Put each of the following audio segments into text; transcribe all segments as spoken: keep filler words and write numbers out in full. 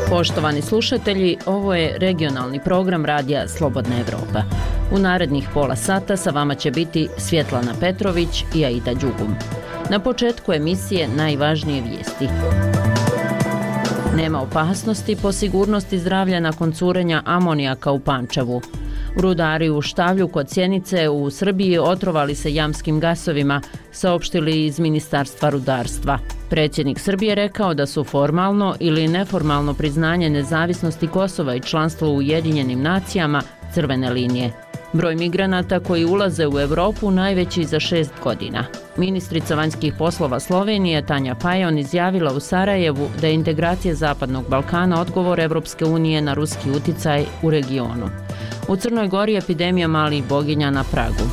Poštovani slušatelji, ovo je regionalni program radija Slobodna Evropa. U narednih pola sata sa vama će biti Svjetlana Petrović i Aida Đugum. Na početku emisije najvažnije vijesti. Nema opasnosti po sigurnosti zdravlja nakon curenja amonijaka u Pančevu. Rudari u Štavlju kod Sjenice u Srbiji otrovali se jamskim gasovima, saopštili iz Ministarstva rudarstva. Predsjednik Srbije rekao da su formalno ili neformalno priznanje nezavisnosti Kosova i članstvo u Ujedinjenim nacijama crvene linije. Broj migranata koji ulaze u Europu najveći za šest godina. Ministrica vanjskih poslova Slovenije Tanja Fajon izjavila u Sarajevu da je integracija Zapadnog Balkana odgovor Evropske unije na ruski uticaj u regionu. U Crnoj Gori epidemija malih boginja na pragu.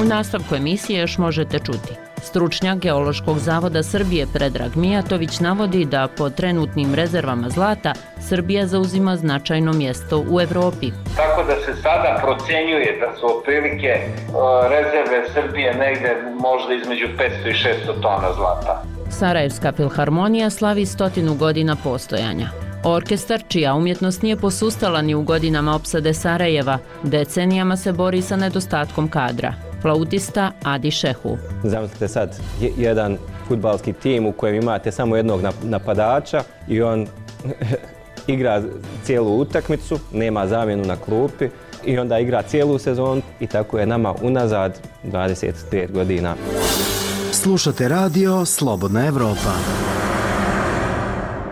U nastavku emisije još možete čuti. Stručnjak Geološkog zavoda Srbije Predrag Mijatović navodi da po trenutnim rezervama zlata Srbija zauzima značajno mjesto u Evropi. Tako da se sada procenjuje da su otprilike rezerve Srbije negde možda između petsto i šesto tona zlata. Sarajevska filharmonija slavi stotinu godina postojanja. Orkestar, čija umjetnost nije posustala ni u godinama opsade Sarajeva, decenijama se bori sa nedostatkom kadra. Flautista Adi Šehu. Zamislite sad jedan fudbalski tim u kojem imate samo jednog napadača i on igra cijelu utakmicu, nema zamjenu na klupi i onda igra cijelu sezonu i tako je nama unazad dvadeset pet godina. Slušate radio Slobodna Evropa.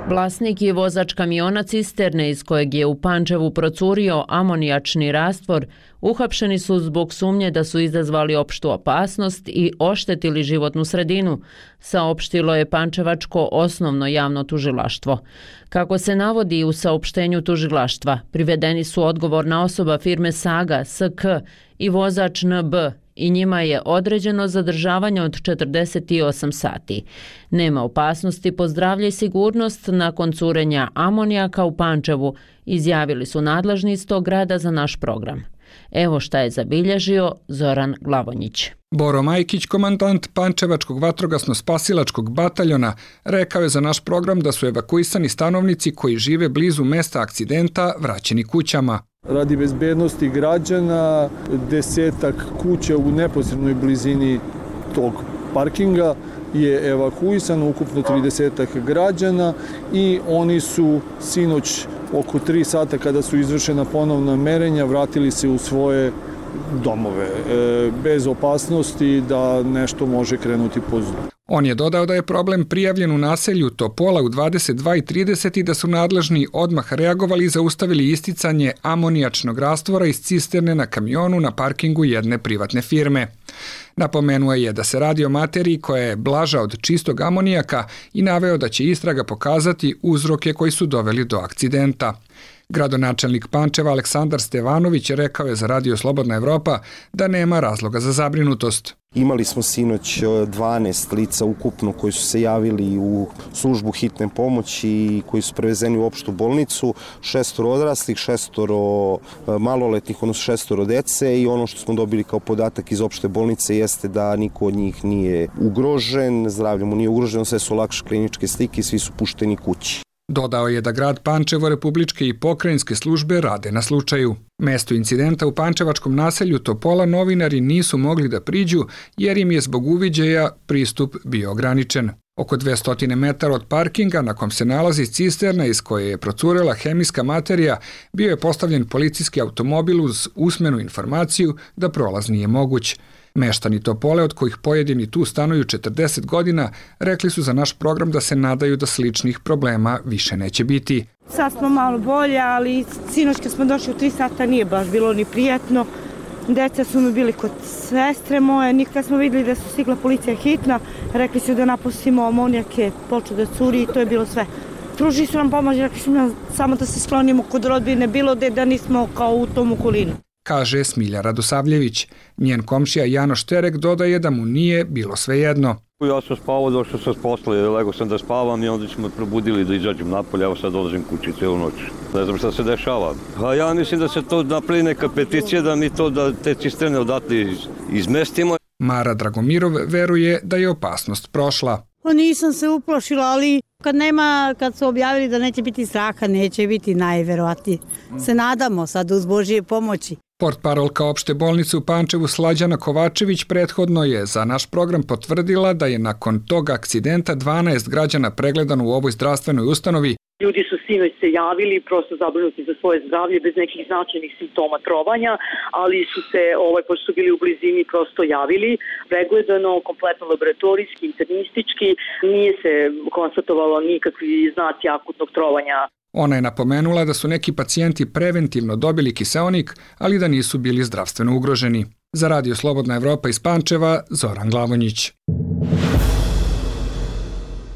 Vlasnik i vozač kamiona cisterne iz kojeg je u Pančevu procurio amonijačni rastvor uhapšeni su zbog sumnje da su izazvali opštu opasnost i oštetili životnu sredinu, saopštilo je pančevačko osnovno javno tužilaštvo. Kako se navodi u saopštenju tužilaštva, privedeni su odgovorna osoba firme Saga S K i vozač N B i njima je određeno zadržavanje od četrdeset osam sati. Nema opasnosti po zdravlje i sigurnost nakon curenja amonijaka u Pančevu, izjavili su nadležni iz tog grada za naš program. Evo šta je zabilježio Zoran Glavonjić. Boro Majkić, komandant Pančevačkog vatrogasno-spasilačkog bataljona, rekao je za naš program da su evakuisani stanovnici koji žive blizu mesta akcidenta vraćeni kućama. Radi bezbednosti građana, desetak kuća u neposrednoj blizini tog parkinga je evakuisano, ukupno tridesetak građana i oni su sinoć oko tri sata kada su izvršena ponovna merenja vratili se u svoje domove, e, bez opasnosti da nešto može krenuti po zlu. On je dodao da je problem prijavljen u naselju Topola u dvadeset dva i trideset i da su nadležni odmah reagovali i zaustavili isticanje amonijačnog rastvora iz cisterne na kamionu na parkingu jedne privatne firme. Napomenuo je da se radi o materiji koja je blaža od čistog amonijaka i naveo da će istraga pokazati uzroke koji su doveli do akcidenta. Gradonačelnik Pančeva Aleksandar Stevanović rekao je za Radio Slobodna Evropa da nema razloga za zabrinutost. Imali smo sinoć dvanaest lica ukupno koji su se javili u službu hitne pomoći i koji su prevezeni u opštu bolnicu, šestoro odraslih, šestoro maloletnih, odnosno šestoro dece i ono što smo dobili kao podatak iz opšte bolnice jeste da niko od njih nije ugrožen, zdravlje mu nije ugroženo, sve su lakše kliničke slike i svi su pušteni kući. Dodao je da grad Pančevo, republičke i pokrajinske službe rade na slučaju. Mesto incidenta u pančevačkom naselju Topola novinari nisu mogli da priđu jer im je zbog uviđaja pristup bio ograničen. Oko dvesta metara od parkinga na kom se nalazi cisterna iz koje je procurela hemijska materija bio je postavljen policijski automobil uz usmenu informaciju da prolaz nije moguć. Meštani Topole, od kojih pojedini tu stanuju četrdeset godina, rekli su za naš program da se nadaju da sličnih problema više neće biti. Sad smo malo bolje, ali sinoć kad smo došli u tri sata nije baš bilo ni prijatno. Deca su mi bili kod sestre moje, nikad smo vidjeli da su stigla policija hitna, rekli su da napustimo amonijake, počeo da curi i to je bilo sve. Pružili su nam pomoć, rekli su nam samo da se sklonimo kod rodbine, bilo da, da nismo kao u tom okolinu. Kaže Smilja Radosavljević. Njen komšija Janoš Terek dodaje da mu nije bilo svejedno. Ja sam spavao, došao sam s posla, lego sam da spavam i onda smo me probudili da izađem napolje, evo sad dolazim kući cijelu noć. Ne znam šta se dešava. A ja mislim da se to napravi neka peticija da mi to, da te cisterne odatle iz, izmestimo. Mara Dragomirov veruje da je opasnost prošla. Pa nisam se uplašila, ali kad nema, kad su objavili da neće biti straha, neće biti najverovatnije. Se nadamo sad uz Božje pomoći. Portparolka opšte bolnice u Pančevu Slađana Kovačević prethodno je za naš program potvrdila da je nakon tog akcidenta dvanaest građana pregledano u ovoj zdravstvenoj ustanovi. Ljudi su sinoć se javili, prosto zabrinuti za svoje zdravlje bez nekih značajnih simptoma trovanja, ali su se, ovaj, pošto su bili u blizini, prosto javili. Pregledano, kompletno laboratorijski, internistički, nije se konstatovalo nikakvi znaci akutnog trovanja. Ona je napomenula da su neki pacijenti preventivno dobili kiseonik, ali da nisu bili zdravstveno ugroženi. Za Radio Slobodna Evropa iz Pančeva, Zoran Glavonjić.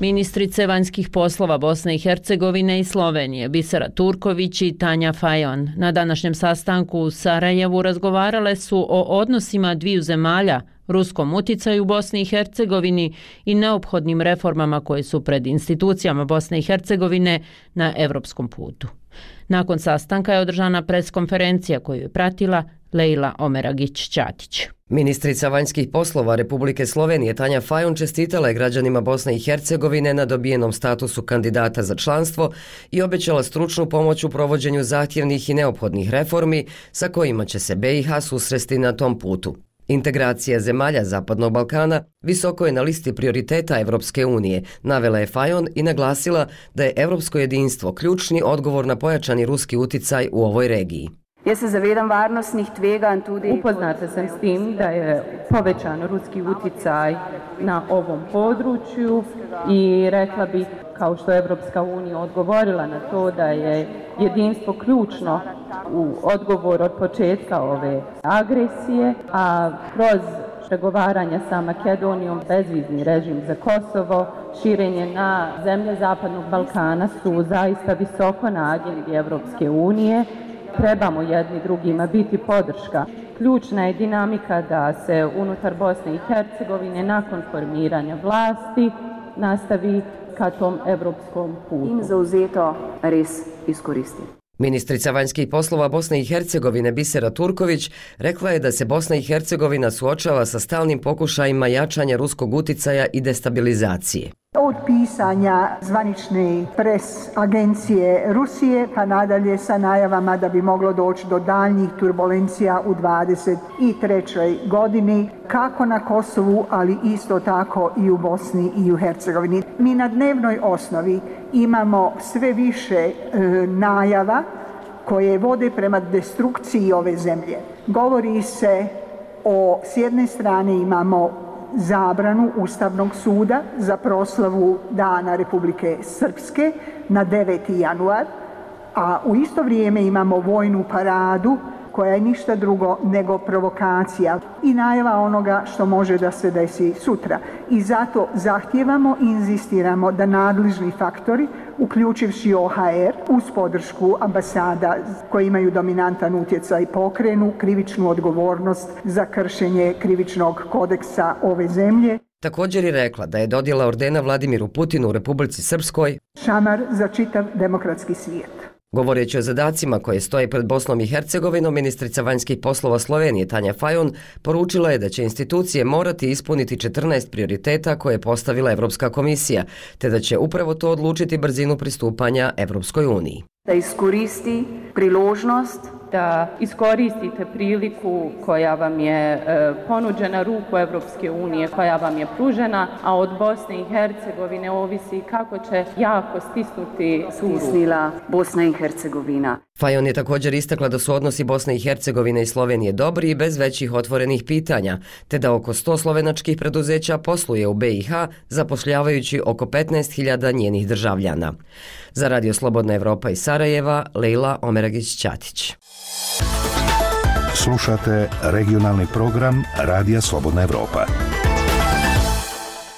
Ministrice vanjskih poslova Bosne i Hercegovine i Slovenije Bisera Turković i Tanja Fajon na današnjem sastanku u Sarajevu razgovarale su o odnosima dviju zemalja, ruskom uticaju u Bosni i Hercegovini i neophodnim reformama koje su pred institucijama Bosne i Hercegovine na evropskom putu. Nakon sastanka je održana preskonferencija koju je pratila Lejla Omeragić-Ćatić. Ministrica vanjskih poslova Republike Slovenije Tanja Fajon čestitala je građanima Bosne i Hercegovine na dobijenom statusu kandidata za članstvo i obećala stručnu pomoć u provođenju zahtjevnih i neophodnih reformi sa kojima će se B i H susresti na tom putu. Integracija zemalja Zapadnog Balkana visoko je na listi prioriteta Evropske unije, navela je Fajon i naglasila da je evropsko jedinstvo ključni odgovor na pojačani ruski uticaj u ovoj regiji. Ja se zavedam varnostnih tveganj tudi. Upoznata sam s tim da je povećan ruski uticaj na ovom području i rekla bih, kao što je Evropska unija odgovorila na to, da je jedinstvo ključno u odgovor od početka ove agresije, a kroz pregovaranja sa Makedonijom, bezvizni režim za Kosovo, širenje na zemlje Zapadnog Balkana su zaista visoko na agendi Evropske unije. Trebamo jedni drugima biti podrška. Ključna je dinamika da se unutar Bosne i Hercegovine nakon formiranja vlasti nastavi ka tom evropskom putu. In zauzeto res iskoristi. Ministrica vanjskih poslova Bosne i Hercegovine Bisera Turković rekla je da se Bosna i Hercegovina suočava sa stalnim pokušajima jačanja ruskog uticaja i destabilizacije. Od pisanja zvanične pres agencije Rusije pa nadalje sa najavama da bi moglo doći do daljnjih turbulencija u dvadeset trećoj godini, kako na Kosovu, ali isto tako i u Bosni i u Hercegovini. Mi na dnevnoj osnovi imamo sve više e, najava koje vode prema destrukciji ove zemlje. Govori se o, s jedne strane imamo zabranu Ustavnog suda za proslavu Dana Republike Srpske na deveti januar, a u isto vrijeme imamo vojnu paradu koja je ništa drugo nego provokacija i najava onoga što može da se desi sutra. I zato zahtijevamo i inzistiramo da nadležni faktori, uključivši O H R, uz podršku ambasada koji imaju dominantan utjecaj, pokrenu krivičnu odgovornost za kršenje krivičnog kodeksa ove zemlje. Također je rekla da je dodjela ordena Vladimiru Putinu u Republici Srpskoj šamar za čitav demokratski svijet. Govoreći o zadacima koje stoje pred Bosnom i Hercegovinom, ministrica vanjskih poslova Slovenije Tanja Fajon poručila je da će institucije morati ispuniti četrnaest prioriteta koje je postavila Evropska komisija, te da će upravo to odlučiti brzinu pristupanja Evropskoj uniji. Da iskoristi priložnost, da iskoristite priliku koja vam je e, ponuđena, ruku Evropske unije koja vam je pružena, a od Bosne i Hercegovine ovisi kako će jako stisnuti stisnila Bosna i Hercegovina. Fajon je također istakla da su odnosi Bosne i Hercegovine i Slovenije dobri i bez većih otvorenih pitanja, te da oko sto slovenačkih preduzeća posluje u B i H, zapošljavajući oko petnaest hiljada njenih državljana. Za Radio Slobodna Evropa iz Sarajeva, Lejla Omeragić-Ćatić. Slušate regionalni program Radija Slobodna Evropa.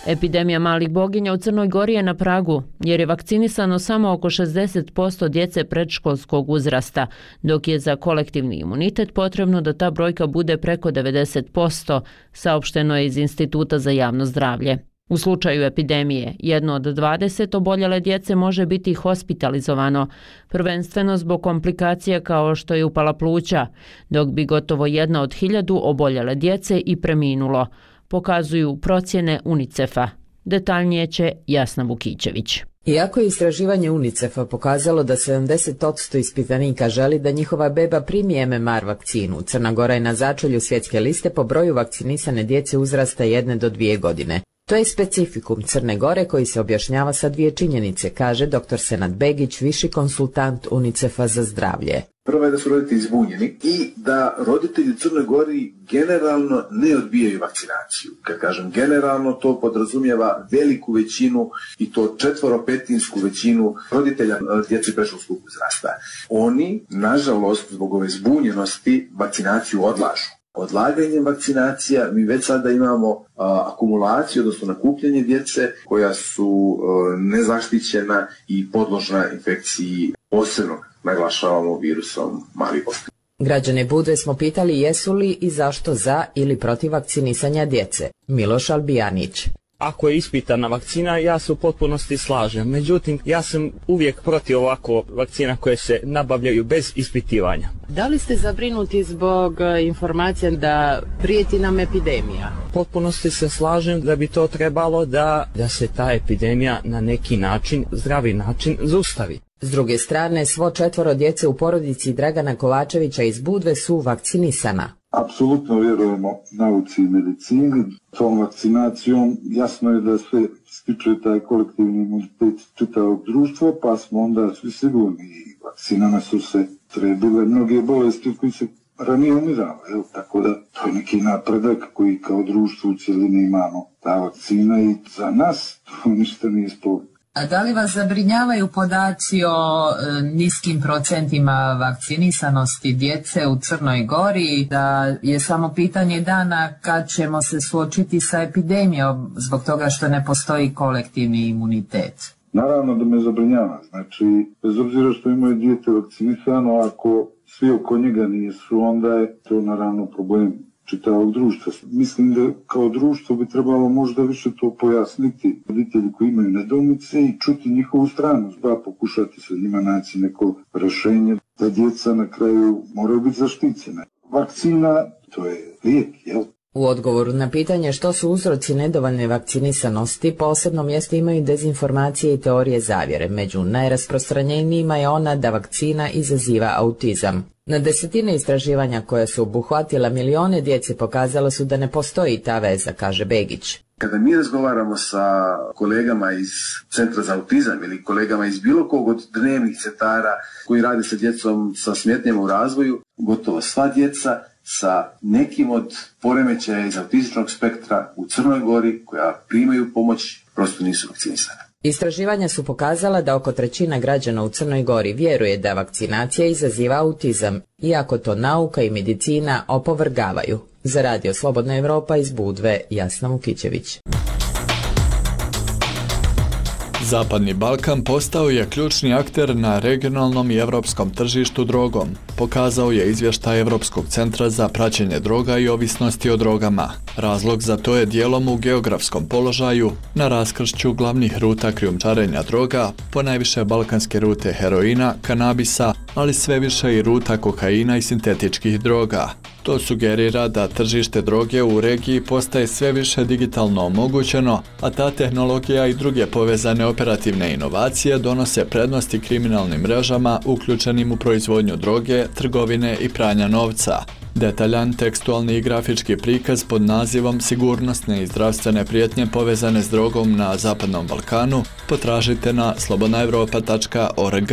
Epidemija malih boginja u Crnoj Gori je na pragu, jer je vakcinisano samo oko šezdeset posto djece predškolskog uzrasta, dok je za kolektivni imunitet potrebno da ta brojka bude preko devedeset posto, saopšteno je iz Instituta za javno zdravlje. U slučaju epidemije, jedno od dvadeset oboljele djece može biti hospitalizovano, prvenstveno zbog komplikacija kao što je upala pluća, dok bi gotovo jedna od hiljadu oboljele djece i preminulo, pokazuju procjene UNICEF-a. Detaljnije će Jasna Vukićević. Iako je istraživanje UNICEF-a pokazalo da sedamdeset posto ispitanika želi da njihova beba primi M M R vakcinu, Crna Gora je na začelju svjetske liste po broju vakcinisane djece uzrasta jedne do dvije godine. To je specifikum Crne Gore koji se objašnjava sa dvije činjenice, kaže dr. Senad Begić, viši konsultant UNICEF-a za zdravlje. Prvo je da su roditelji zbunjeni i da roditelji u Crnoj Gori generalno ne odbijaju vakcinaciju. Kad kažem generalno, to podrazumijeva veliku većinu i to četvoropetinsku većinu roditelja djece predškolskog uzrasta. Oni, nažalost, zbog ove zbunjenosti, vakcinaciju odlažu. Odlaganjem vakcinacija mi već sada imamo a, akumulaciju, odnosno nakupljanje djece koja su a, nezaštićena i podložna infekciji, posebno naglašavamo virusom malih ospica. Građane Budve smo pitali jesu li i zašto za ili protiv vakcinisanja djece. Miloš Albijanić. Ako je ispitana vakcina, ja se u potpunosti slažem. Međutim, ja sam uvijek protiv ovako vakcina koje se nabavljaju bez ispitivanja. Da li ste zabrinuti zbog informacija da prijeti nam epidemija? U potpunosti se slažem da bi to trebalo da, da se ta epidemija na neki način, zdravi način, zaustavi. S druge strane, svo četvoro djece u porodici Dragana Kovačevića iz Budve su vakcinisana. Apsolutno vjerujemo nauci i medicini. Tom vakcinacijom jasno je da se stiče taj kolektivni imunitet čitavog društva, pa smo onda svi sigurni. Vakcinama su se trebile mnoge bolesti koji se ranije umirale. Evo, tako da to je neki napredak koji kao društvo u cjelini imamo. Ta vakcina i za nas to ništa nije sporno. A da li vas zabrinjavaju podaci o e, niskim procentima vakcinisanosti djece u Crnoj Gori, da je samo pitanje dana kad ćemo se suočiti sa epidemijom zbog toga što ne postoji kolektivni imunitet? Naravno da me zabrinjava. Znači, bez obzira što imaju dijete vakcinisano, ako svi oko njega nisu, onda je to naravno problem čitavog društva. Mislim da kao društvo bi trebalo možda više to pojasniti roditelji koji imaju nedoumice i čuti njihovu stranu, da pokušati sa njima naći neko rješenje da djeca na kraju moraju biti zaštićene. Vakcina, to je lijek, jel? U odgovoru na pitanje što su uzroci nedovoljne vakcinisanosti, posebno mjesto imaju dezinformacije i teorije zavjere. Među najrasprostranjenijima je ona da vakcina izaziva autizam. Na desetine istraživanja koja su obuhvatila milione djece pokazalo su da ne postoji ta veza, kaže Begić. Kada mi razgovaramo sa kolegama iz Centra za autizam ili kolegama iz bilo kog od dnevnih centara koji rade sa djecom sa smetnjama u razvoju, gotovo sva djeca sa nekim od poremećaja iz autističnog spektra u Crnoj Gori koja primaju pomoć prosto nisu vakcinisane. Istraživanja su pokazala da oko trećina građana u Crnoj Gori vjeruje da vakcinacija izaziva autizam, iako to nauka i medicina opovrgavaju. Za Radio Slobodna Evropa iz Budve, Jasna Vukićević. Zapadni Balkan postao je ključni akter na regionalnom i evropskom tržištu drogom, pokazao je izvještaj Evropskog centra za praćenje droga i ovisnosti o drogama. Razlog za to je dijelom u geografskom položaju, na raskršću glavnih ruta krijumčarenja droga, ponajviše balkanske rute heroina, kanabisa, ali sve više i ruta kokaina i sintetičkih droga. To sugerira da tržište droge u regiji postaje sve više digitalno omogućeno, a ta tehnologija i druge povezane operativne inovacije donose prednosti kriminalnim mrežama uključenim u proizvodnju droge, trgovine i pranja novca. Detaljan tekstualni i grafički prikaz pod nazivom Sigurnosne i zdravstvene prijetnje povezane s drogom na Zapadnom Balkanu potražite na slobodna evropa tačka org.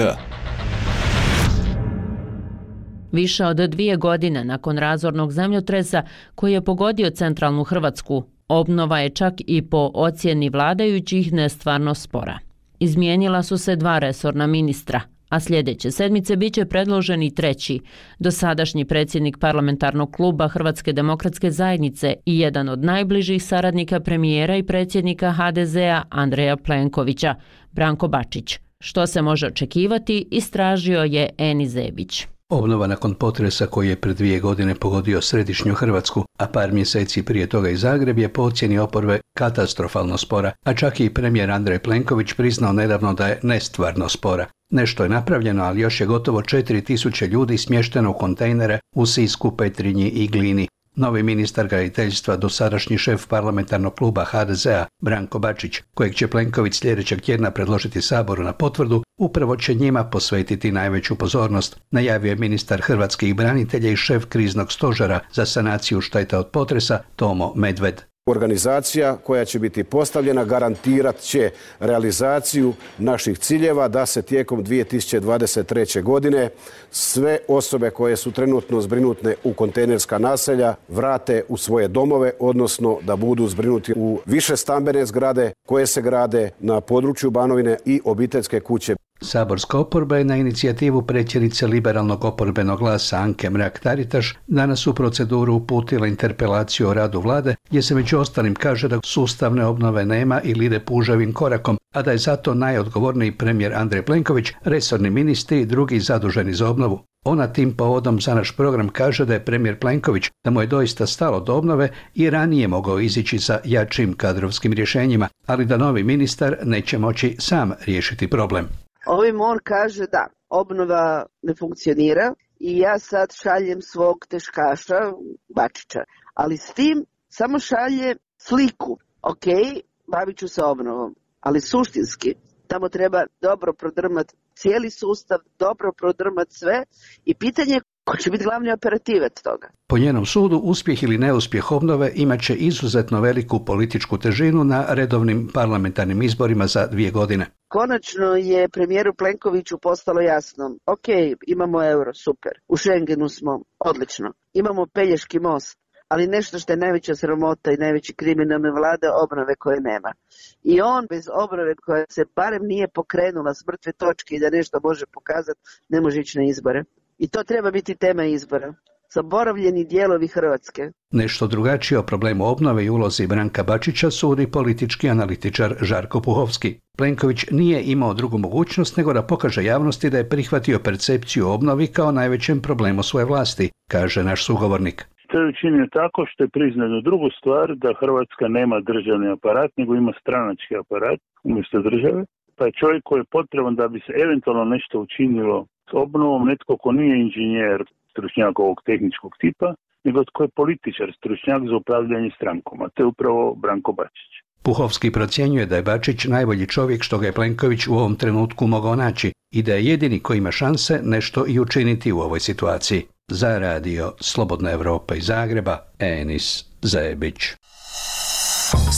Više od dvije godine nakon razornog zemljotresa koji je pogodio centralnu Hrvatsku, obnova je čak i po ocjeni vladajućih nestvarno spora. Izmijenila su se dva resorna ministra, a sljedeće sedmice biće predložen i treći, dosadašnji predsjednik parlamentarnog kluba Hrvatske demokratske zajednice i jedan od najbližih saradnika premijera i predsjednika ha de zea Andreja Plenkovića, Branko Bačić. Što se može očekivati, istražio je Eni Zebić. Obnova nakon potresa koji je pred dvije godine pogodio središnju Hrvatsku, a par mjeseci prije toga i Zagreb, je po ocjeni oporbe katastrofalno spora, a čak i premijer Andrej Plenković priznao nedavno da je nestvarno spora. Nešto je napravljeno, ali još je gotovo četiri tisuće ljudi smješteno u kontejnere u Sisku, Petrinji i Glini. Novi ministar graditeljstva, dosadašnji šef parlamentarnog kluba ha de zea Branko Bačić, kojeg će Plenković sljedećeg tjedna predložiti Saboru na potvrdu, upravo će njima posvetiti najveću pozornost, najavio je ministar hrvatskih branitelja i šef kriznog stožera za sanaciju šteta od potresa Tomo Medved. Organizacija koja će biti postavljena garantirat će realizaciju naših ciljeva da se tijekom dvije tisuće dvadeset treće. godine sve osobe koje su trenutno zbrinutne u kontejnerska naselja vrate u svoje domove, odnosno da budu zbrinuti u više stambene zgrade koje se grade na području Banovine i obiteljske kuće. Saborska oporba je na inicijativu predsjednice liberalnog oporbenog glasa Anke Mrak-Taritaš danas u proceduru uputila interpelaciju o radu vlade, gdje se među ostalim kaže da sustavne obnove nema ili ide puževim korakom, a da je zato najodgovorniji premijer Andrej Plenković, resorni ministri i drugi zaduženi za obnovu. Ona tim povodom za naš program kaže da je premijer Plenković, da mu je doista stalo do obnove i ranije mogao izići sa jačim kadrovskim rješenjima, ali da novi ministar neće moći sam riješiti problem. Ovim on kaže da obnova ne funkcionira i ja sad šaljem svog teškaša Bačića, ali s tim samo šalje sliku. Ok, bavit ću se obnovom, ali suštinski tamo treba dobro prodrmati cijeli sustav, dobro prodrmati sve i pitanje je ko će biti glavni operativac toga. Po njenom sudu, uspjeh ili neuspjeh obnove imat će izuzetno veliku političku težinu na redovnim parlamentarnim izborima za dvije godine. Konačno je premijeru Plenkoviću postalo jasno, ok, imamo euro, super, u Schengenu smo, odlično, imamo Pelješki most, ali nešto što je najveća sramota i najveći kriminalne vlade, obnove koje nema. I on bez obnove koja se barem nije pokrenula s mrtve točke i da nešto može pokazati, ne može ići na izbore. I to treba biti tema izbora. Zaboravljeni dijelovi Hrvatske. Nešto drugačije o problemu obnove i ulozi Branka Bačića sudi politički analitičar Žarko Puhovski. Plenković nije imao drugu mogućnost nego da pokaže javnosti da je prihvatio percepciju obnovi kao najvećem problemu svoje vlasti, kaže naš sugovornik. To je učinio tako što je priznao drugu stvar, da Hrvatska nema državni aparat, nego ima stranački aparat umjesto države. Pa je čovjek koji je potreban da bi se eventualno nešto učinilo s obnovom, netko ko nije inženjer, stručnjak ovog tehničkog tipa, nego tko je političar, stručnjak za upravljanje strankom, a to je upravo Branko Bačić. Puhovski procjenjuje da je Bačić najbolji čovjek što ga je Plenković u ovom trenutku mogao naći i da je jedini koji ima šanse nešto i učiniti u ovoj situaciji. Za radio Slobodna Evropa iz Zagreba, Enis Zebić.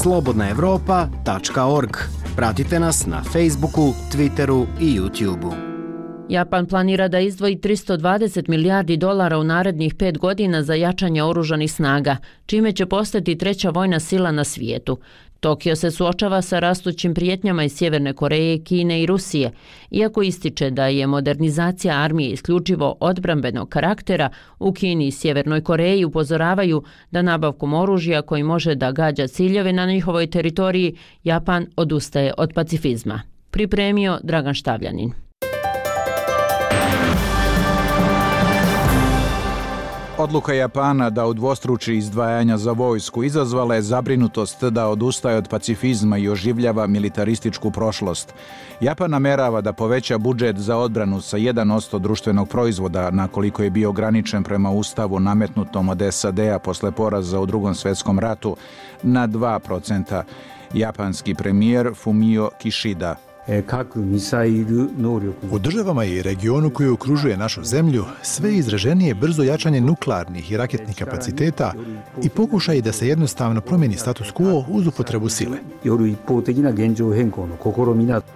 slobodna evropa tačka org. Pratite nas na Facebooku, Twitteru i YouTubeu. Japan planira da izdvoji tristo dvadeset milijardi dolara u narednih pet godina za jačanje oružanih snaga, čime će postati treća vojna sila na svijetu. Tokio se suočava sa rastućim prijetnjama iz Sjeverne Koreje, Kine i Rusije. Iako ističe da je modernizacija armije isključivo odbrambenog karaktera, u Kini i Sjevernoj Koreji upozoravaju da nabavkom oružja koji može da gađa ciljeve na njihovoj teritoriji, Japan odustaje od pacifizma. Pripremio Dragan Štavljanin. Odluka Japana da udvostruči izdvajanja za vojsku izazvala je zabrinutost da odustaje od pacifizma i oživljava militarističku prošlost. Japan namerava da poveća budžet za odbranu sa jedan posto društvenog proizvoda, na koliko je bio ograničen prema ustavu nametnutom od es a de a posle poraza u Drugom svjetskom ratu, na dva procenta. Japanski premijer Fumio Kishida. U državama i regionu koji okružuje našu zemlju, sve izraženije brzo jačanje nuklearnih i raketnih kapaciteta i pokušaj da se jednostavno promijeni status quo uz upotrebu sile.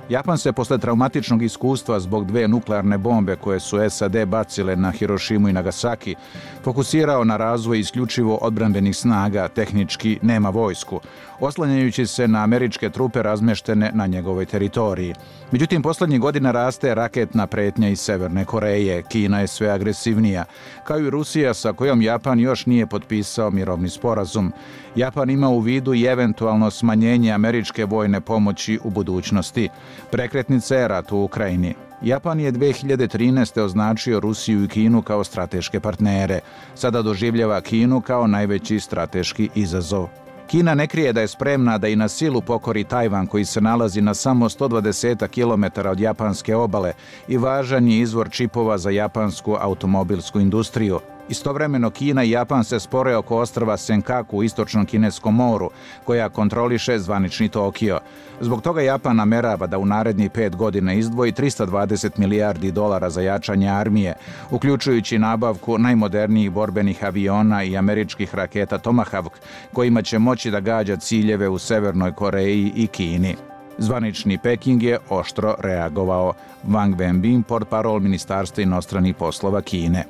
Japan se posle traumatičnog iskustva zbog dve nuklearne bombe koje su es a de bacile na Hirošimu i Nagasaki, fokusirao na razvoj isključivo odbrambenih snaga, tehnički nema vojsku, oslanjajući se na američke trupe razmještene na njegovoj teritoriji. teritoriji. Međutim, posljednjih godina raste raketna pretnja iz Severne Koreje. Kina je sve agresivnija, kao i Rusija sa kojom Japan još nije potpisao mirovni sporazum. Japan ima u vidu i eventualno smanjenje američke vojne pomoći u budućnosti. Prekretnica je rat u Ukrajini. Japan je dvije hiljade trinaeste. označio Rusiju i Kinu kao strateške partnere. Sada doživljava Kinu kao najveći strateški izazov. Kina ne krije da je spremna da i na silu pokori Tajvan, koji se nalazi na samo sto dvadeset kilometara od japanske obale i važan je izvor čipova za japansku automobilsku industriju. Istovremeno Kina i Japan se spore oko ostrva Senkaku u istočnom kineskom moru, koja kontroliše zvanični Tokio. Zbog toga Japan namerava da u narednih pet godina izdvoji trista dvadeset milijardi dolara za jačanje armije, uključujući nabavku najmodernijih borbenih aviona i američkih raketa Tomahawk, kojima će moći da gađa ciljeve u Severnoj Koreji i Kini. Zvanični Peking je oštro reagovao. Wang Wenbin, portparol Ministarstva inostranih poslova Kine.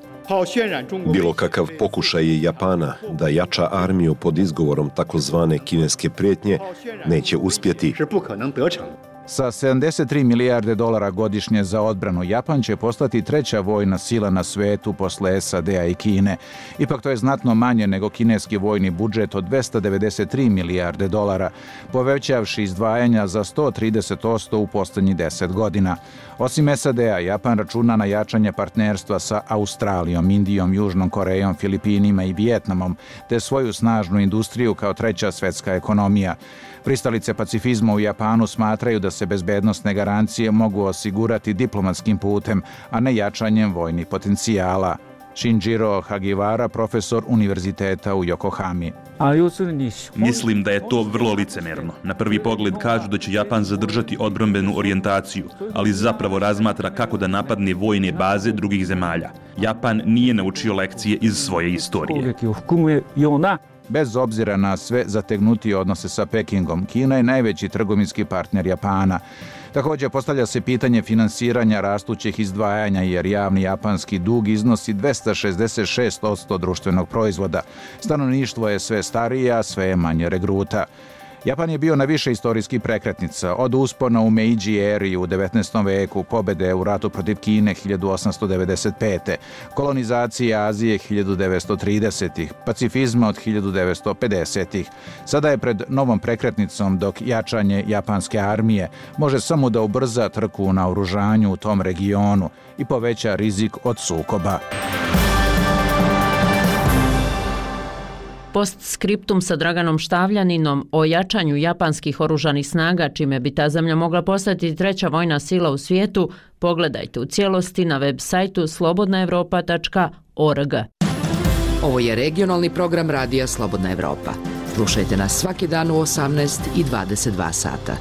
Bilo kakav pokušaj Japana da jača armiju pod izgovorom takozvane kineske prijetnje neće uspjeti. Sa sedamdeset tri milijarde dolara godišnje za odbranu, Japan će postati treća vojna sila na svetu posle S A D-a i Kine. Ipak to je znatno manje nego kineski vojni budžet od dvesta devedeset tri milijarde dolara, povećavši izdvajanja za sto trideset posto u posljednjih deset godina. Osim S A D-a, Japan računa na jačanje partnerstva sa Australijom, Indijom, Južnom Korejom, Filipinima i Vijetnamom, te svoju snažnu industriju kao treća svetska ekonomija. Pristalice pacifizma u Japanu smatraju da se bezbednosne garancije mogu osigurati diplomatskim putem, a ne jačanjem vojnih potencijala. Shinjiro Hagiwara, profesor univerziteta u Yokohami. Mislim da je to vrlo licemerno. Na prvi pogled kažu da će Japan zadržati odbrambenu orijentaciju, ali zapravo razmatra kako da napadne vojne baze drugih zemalja. Japan nije naučio lekcije iz svoje istorije. Bez obzira na sve zategnutije odnose sa Pekingom, Kina je najveći trgovinski partner Japana. Također postavlja se pitanje finansiranja rastućih izdvajanja, jer javni japanski dug iznosi dvesta šezdeset šest posto društvenog proizvoda. Stanovništvo je sve starije, a sve je manje regruta. Japan je bio na više istorijskih prekretnica, od uspona u Meidži eri u devetnaestom veku, pobede u ratu protiv Kine hiljadu osamsto devedeset pete. kolonizacije Azije hiljadu devetsto tridesetih. pacifizma od hiljadu devetsto pedesetih. Sada je pred novom prekretnicom, dok jačanje japanske armije može samo da ubrza trku na oružanju u tom regionu i poveća rizik od sukoba. Postskriptum sa Draganom Štavljaninom o jačanju japanskih oružanih snaga, čime bi ta zemlja mogla postati treća vojna sila u svijetu, pogledajte u cijelosti na web sajtu slobodna evropa tačka org. Ovo je regionalni program Radija Slobodna Evropa. Slušajte nas svaki dan u osamnaest i dvadeset dva sata.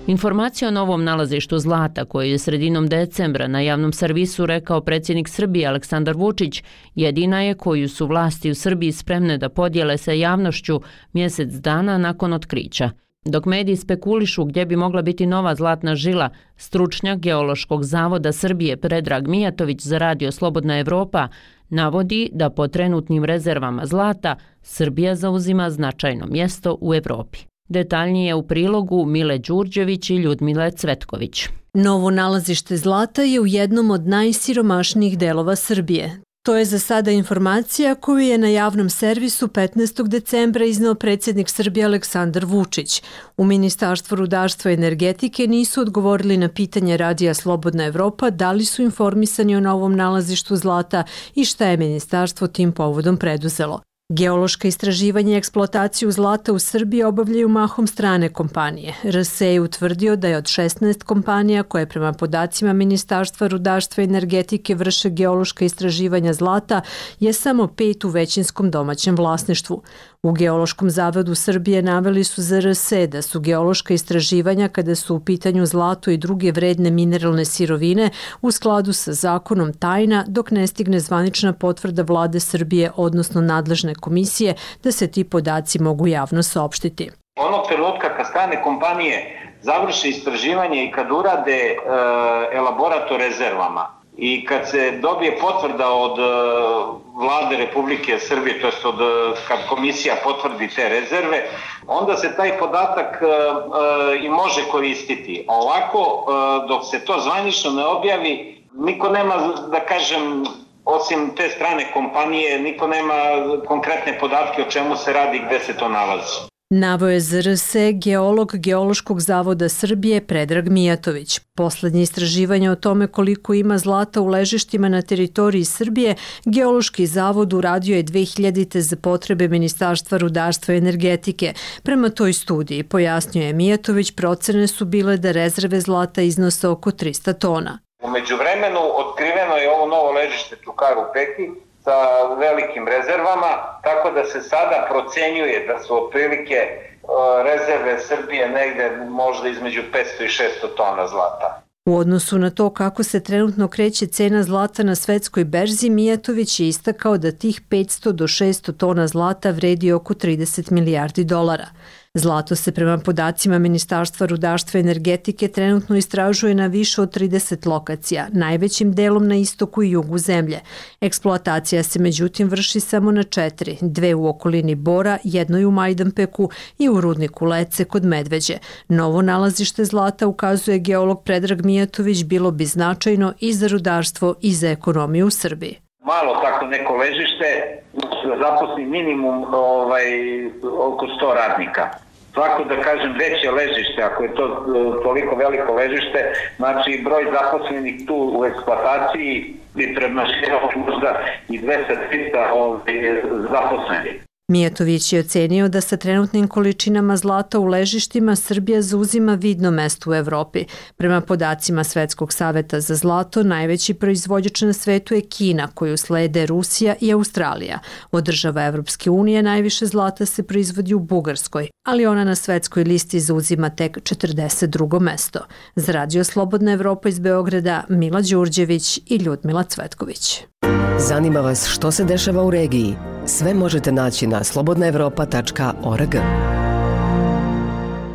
Informacija o novom nalazištu zlata, koju je sredinom decembra na javnom servisu rekao predsjednik Srbije Aleksandar Vučić, jedina je koju su vlasti u Srbiji spremne da podijele sa javnošću mjesec dana nakon otkrića. Dok mediji spekulišu gdje bi mogla biti nova zlatna žila, stručnjak Geološkog zavoda Srbije Predrag Mijatović za Radio Slobodna Evropa navodi da po trenutnim rezervama zlata Srbija zauzima značajno mjesto u Evropi. Detaljnije u prilogu Mile Đurđević i Ljudmile Cvetković. Novo nalazište zlata je u jednom od najsiromašnijih delova Srbije. To je za sada informacija koju je na javnom servisu petnaestog decembra izneo predsjednik Srbije Aleksandar Vučić. U Ministarstvu rudarstva i energetike nisu odgovorili na pitanje Radija Slobodna Evropa da li su informisani o novom nalazištu zlata i šta je ministarstvo tim povodom preduzelo. Geološka istraživanja i eksploataciju zlata u Srbiji obavljaju mahom strane kompanije. R S E je utvrdio da je od šesnaest kompanija koje prema podacima Ministarstva rudarstva i energetike vrše geološka istraživanja zlata je samo pet u većinskom domaćem vlasništvu. U Geološkom zavodu Srbije naveli su za R S E da su geološka istraživanja kada su u pitanju zlato i druge vredne mineralne sirovine u skladu sa zakonom tajna dok ne stigne zvanična potvrda vlade Srbije odnosno nadležne komisije da se ti podaci mogu javno saopštiti. Onog trenutka kad strane kompanije završe istraživanje i kad urade e, elaborat o rezervama i kad se dobije potvrda od Vlade Republike Srbije, to jest od kad komisija potvrdi te rezerve, onda se taj podatak i može koristiti. A ovako, dok se to zvanično ne objavi, niko nema, da kažem, osim te strane kompanije, niko nema konkretne podatke o čemu se radi, gde se to nalazi. Naveo je Z R S geolog Geološkog zavoda Srbije Predrag Mijatović. Poslednje istraživanje o tome koliko ima zlata u ležištima na teritoriji Srbije Geološki zavod uradio je dve hiljadite. za potrebe Ministarstva rudarstva i energetike. Prema toj studiji, pojasnio je Mijatović, procene su bile da rezerve zlata iznose oko trista tona. U međuvremenu otkriveno je ovo novo ležište Čukar u Peki sa velikim rezervama, tako da se sada procenjuje da su otprilike rezerve Srbije negde možda između petsto i šesto tona zlata. U odnosu na to kako se trenutno kreće cena zlata na svetskoj berzi, Mijatović je istakao da tih petsto do šesto tona zlata vredi oko trideset milijardi dolara. Zlato se prema podacima Ministarstva rudarstva i energetike trenutno istražuje na više od trideset lokacija, najvećim delom na istoku i jugu zemlje. Eksploatacija se međutim vrši samo na četiri, dve u okolini Bora, jednoj u Majdanpeku i u rudniku Lece kod Medveđe. Novo nalazište zlata, ukazuje geolog Predrag Mijatović, bilo bi značajno i za rudarstvo i za ekonomiju u Srbiji. Malo tako neko ležište, zaposli minimum ovaj, oko sto radnika. Svako, da kažem, veće ležište, ako je to toliko veliko ležište, znači broj zaposlenih tu u eksploataciji bi premašio možda i dvesta do trista ovaj, zaposlenih. Mijatović je ocenio da sa trenutnim količinama zlata u ležištima Srbija zauzima vidno mesto u Evropi. Prema podacima Svetskog saveta za zlato, najveći proizvođač na svetu je Kina, koju slede Rusija i Australija. Od država Evropske unije najviše zlata se proizvodi u Bugarskoj, ali ona na svetskoj listi zauzima tek četrdeset drugo mesto. Za Radio Slobodna Evropa iz Beograda, Mila Đurđević i Ljudmila Cvetković. Zanima vas što se dešava u regiji? Sve možete naći na slobodna evropa tačka org.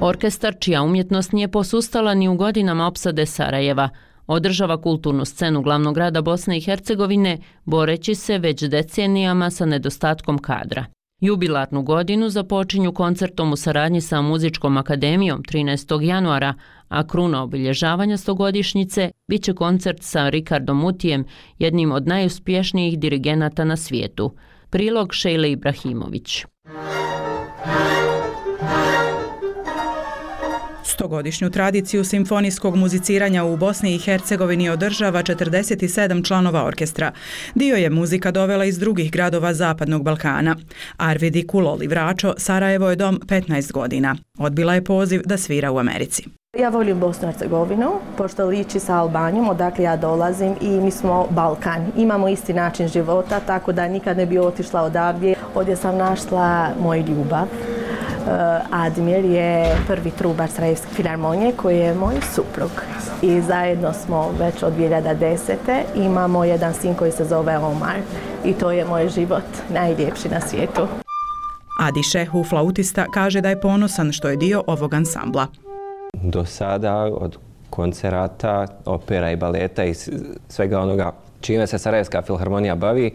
Orkestar, čija umjetnost nije posustala ni u godinama opsade Sarajeva, održava kulturnu scenu glavnog grada Bosne i Hercegovine, boreći se već decenijama sa nedostatkom kadra. Jubilarnu godinu započinju koncertom u saradnji sa Muzičkom akademijom trinaestog januara, a kruna obilježavanja stogodišnjice biće koncert sa Rikardom Mutijem, jednim od najuspješnijih dirigenata na svijetu. Prilog Šejle Ibrahimović. Stogodišnju tradiciju simfonijskog muziciranja u Bosni i Hercegovini održava četrdeset sedam članova orkestra. Dio je muzika dovela iz drugih gradova Zapadnog Balkana. Arvidi Kuloli Vračo, Sarajevo je dom petnaest godina. Odbila je poziv da svira u Americi. Ja volim Bosnu i Hercegovinu, pošto liči sa Albanijom, odakle ja dolazim, i mi smo Balkan. Imamo isti način života, tako da nikad ne bi otišla odavdje. Ovdje sam našla moj ljubav. Admir je prvi trubar Sarajevske filharmonije koji je moj suprug. I zajedno smo već od dvije hiljade desete. Imamo jedan sin koji se zove Omar i to je moj život najljepši na svijetu. Adi Šehu, flautista, kaže da je ponosan što je dio ovog ansambla. Do sada, od koncerata, opera i baleta i svega onoga čime se Sarajevska filharmonija bavi,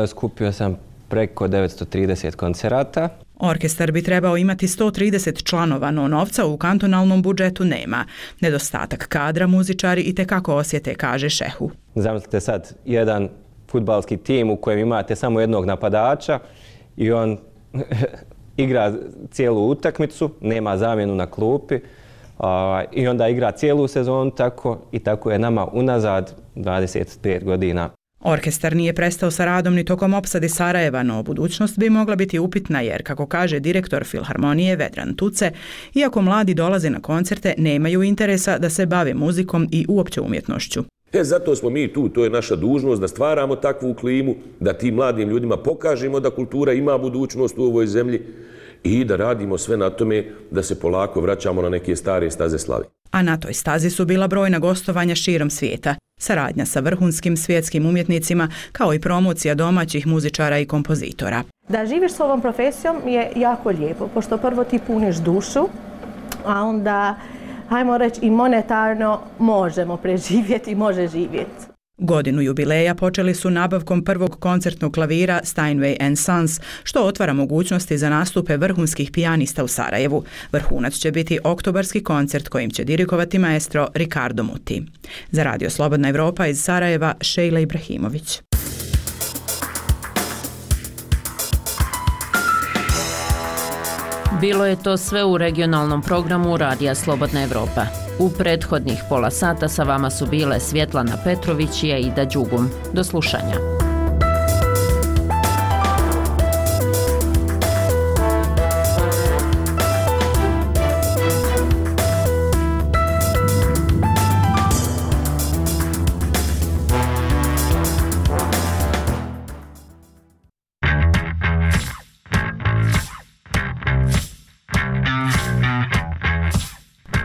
skupio sam preko devetsto trideset koncerata. Orkestar bi trebao imati sto trideset članova, no novca u kantonalnom budžetu nema. Nedostatak kadra muzičari i tekako osjete, kaže Šehu. Zamislite sad jedan fudbalski tim u kojem imate samo jednog napadača i on igra cijelu utakmicu, nema zamjenu na klupi i onda igra cijelu sezonu tako i tako je nama unazad dvadeset pet godina. Orkestar nije prestao sa radom ni tokom opsade Sarajeva, no budućnost bi mogla biti upitna jer, kako kaže direktor filharmonije Vedran Tuce, iako mladi dolaze na koncerte, nemaju interesa da se bave muzikom i uopće umjetnošću. E, zato smo mi tu, to je naša dužnost da stvaramo takvu klimu, da tim mladim ljudima pokažemo da kultura ima budućnost u ovoj zemlji i da radimo sve na tome da se polako vraćamo na neke stare staze slave. A na toj stazi su bila brojna gostovanja širom svijeta, saradnja sa vrhunskim svjetskim umjetnicima, kao i promocija domaćih muzičara i kompozitora. Da živiš s ovom profesijom je jako lijepo, pošto prvo ti puniš dušu, a onda hajmo reći, i monetarno možemo preživjeti i može živjeti. Godinu jubileja počeli su nabavkom prvog koncertnog klavira Steinway and Sons, što otvara mogućnosti za nastupe vrhunskih pijanista u Sarajevu. Vrhunac će biti oktobarski koncert kojim će dirigovati maestro Ricardo Muti. Za Radio Slobodna Evropa iz Sarajeva, Šejla Ibrahimović. Bilo je to sve u regionalnom programu Radija Slobodna Evropa. U prethodnih pola sata sa vama su bile Svjetlana Petrović i Aida Đugum. Do slušanja.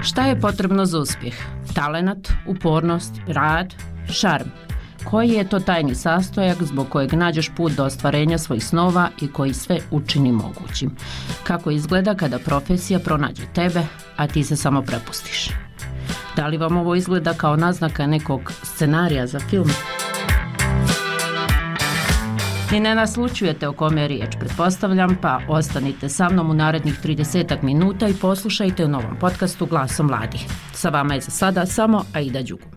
Šta je potrebno za uspjeh? Talenat, upornost, rad, šarm. Koji je to tajni sastojak zbog kojeg nađeš put do ostvarenja svojih snova i koji sve učini mogućim? Kako izgleda kada profesija pronađe tebe, a ti se samo prepustiš? Da li vam ovo izgleda kao naznaka nekog scenarija za film? Ni ne naslučujete o kome je riječ, pretpostavljam, pa ostanite sa mnom u narednih tridesetak minuta i poslušajte u novom podcastu Glasom mladih. Sa vama je za sada samo Aida Đugum.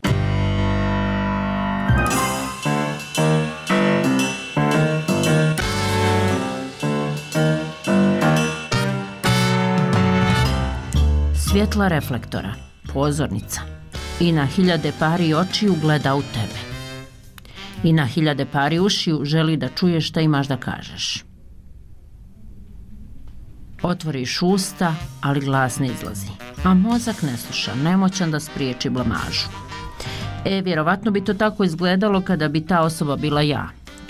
Svjetla reflektora, pozornica i na hiljade pari očiju gleda u tebe. I na hiljade pari ušiju želi da čuješ šta imaš da kažeš. Otvoriš usta, ali glas ne izlazi, a mozak ne sluša, nemoćan da spriječi blamažu. E, vjerovatno bi to tako izgledalo kada bi ta osoba bila ja,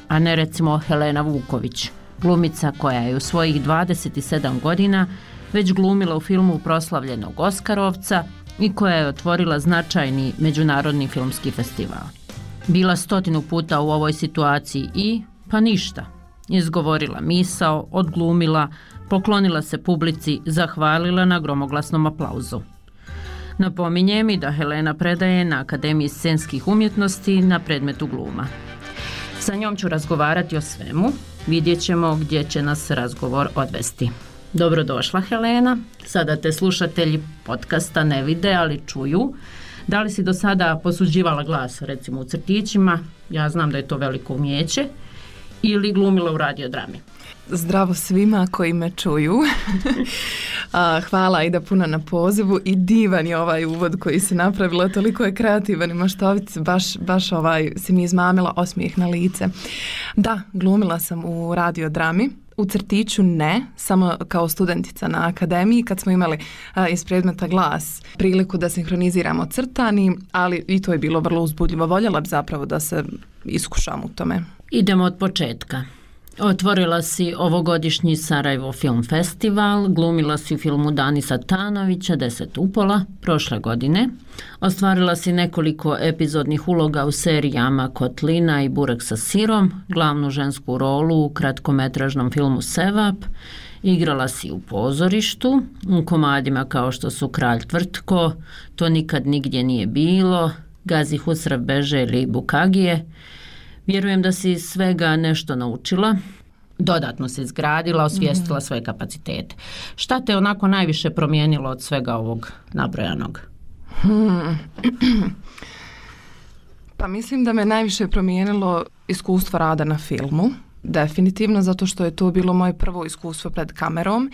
a ne recimo Helena Vuković, glumica koja je u svojih dvadeset sedam godina već glumila u filmu proslavljenog Oskarovca i koja je otvorila značajni međunarodni filmski festival. Bila stotinu puta u ovoj situaciji i, pa ništa, izgovorila misao, odglumila, poklonila se publici, zahvalila na gromoglasnom aplauzu. Napominje mi da Helena predaje na Akademiji scenskih umjetnosti na predmetu gluma. Sa njom ću razgovarati o svemu, vidjet ćemo gdje će nas razgovor odvesti. Dobrodošla, Helena, sada te slušatelji podcasta ne vide, ali čuju. Da li si do sada posuđivala glas, recimo u crtićima, ja znam da je to veliko umijeće, ili glumila u radiodrami? Zdravo svima koji me čuju. Hvala Aida puno na pozivu i divan je ovaj uvod koji si napravila, toliko je kreativan i maštovit, baš, baš ovaj, si mi izmamila osmijeh na lice. Da, glumila sam u radiodrami. U crtiću ne, samo kao studentica na akademiji kad smo imali a, iz predmeta glas priliku da sinhroniziramo crtani, ali i to je bilo vrlo uzbudljivo. Voljela bi zapravo da se iskušam u tome. Idemo od početka. Otvorila si ovogodišnji Sarajevo Film Festival, glumila si u filmu Danisa Tanovića Deset upola prošle godine, ostvarila si nekoliko epizodnih uloga u serijama Kotlina i Burek sa sirom, glavnu žensku rolu u kratkometražnom filmu Sevap, igrala si u pozorištu, u komadima kao što su Kralj Tvrtko, To nikad nigdje nije bilo, Gazi Husrev beže ili Bukagije. Vjerujem da si svega nešto naučila, dodatno se izgradila, osvijestila svoje kapacitete. Šta te onako najviše promijenilo od svega ovog nabrojanog? Hmm. Pa mislim da me najviše promijenilo iskustvo rada na filmu. Definitivno, zato što je to bilo moje prvo iskustvo pred kamerom.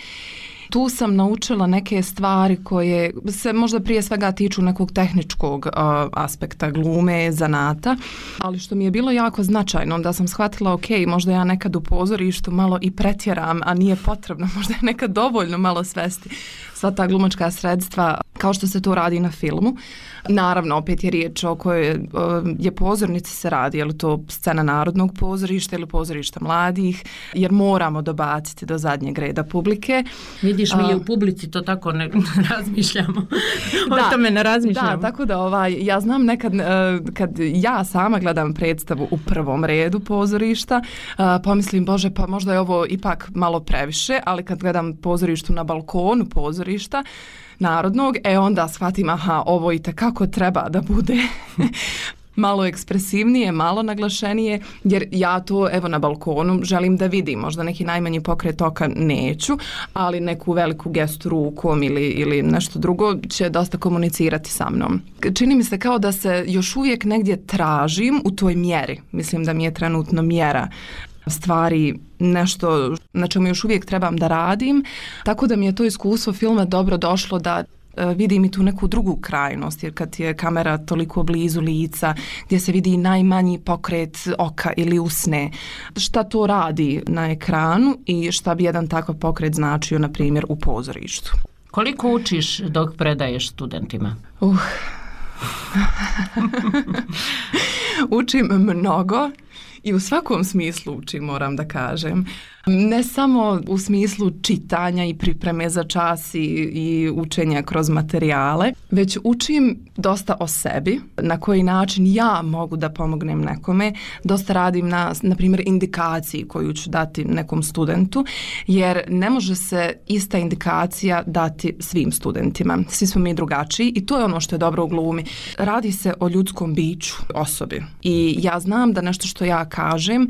Tu sam naučila neke stvari koje se možda prije svega tiču nekog tehničkog uh, aspekta glume, zanata, ali što mi je bilo jako značajno, da sam shvatila, ok, možda ja nekad u pozorištu malo i pretjeram, a nije potrebno, možda je nekad dovoljno malo svesti sva ta glumačka sredstva, kao što se to radi na filmu. Naravno, opet je riječ o kojoj je pozornici se radi, je li to scena Narodnog pozorišta ili pozorišta mladih, jer moramo dobaciti do zadnjeg reda publike. Vidiš, mi je u publici to tako ne razmišljamo. O da, tome ne razmišljamo. Da, tako da ovaj, ja znam nekad kad ja sama gledam predstavu u prvom redu pozorišta, pomislim, bože, pa možda je ovo ipak malo previše, ali kad gledam pozorištu na balkonu pozorišta, narodnog, e onda shvatim, aha, ovo i tekako treba da bude malo ekspresivnije, malo naglašenije, jer ja to evo na balkonu želim da vidim, možda neki najmanji pokret oka neću, ali neku veliku gestu rukom ili, ili nešto drugo će dosta komunicirati sa mnom. Čini mi se kao da se još uvijek negdje tražim u toj mjeri, mislim da mi je trenutno mjera stvari nešto na čemu još uvijek trebam da radim, tako da mi je to iskustvo filma dobro došlo da vidim i tu neku drugu krajnost, jer kad je kamera toliko blizu lica, gdje se vidi najmanji pokret oka ili usne, šta to radi na ekranu i šta bi jedan takav pokret značio, na primjer, u pozorištu. Koliko učiš dok predaješ studentima? Uh. Učim mnogo. I u svakom smislu učim, moram da kažem. Ne samo u smislu čitanja i pripreme za čas i, i učenja kroz materijale, već učim dosta o sebi, na koji način ja mogu da pomognem nekome. Dosta radim na, na primjer, indikaciji koju ću dati nekom studentu, jer ne može se ista indikacija dati svim studentima. Svi smo mi drugačiji i to je ono što je dobro u glumi. Radi se o ljudskom biću, osobi. I ja znam da nešto što ja kažem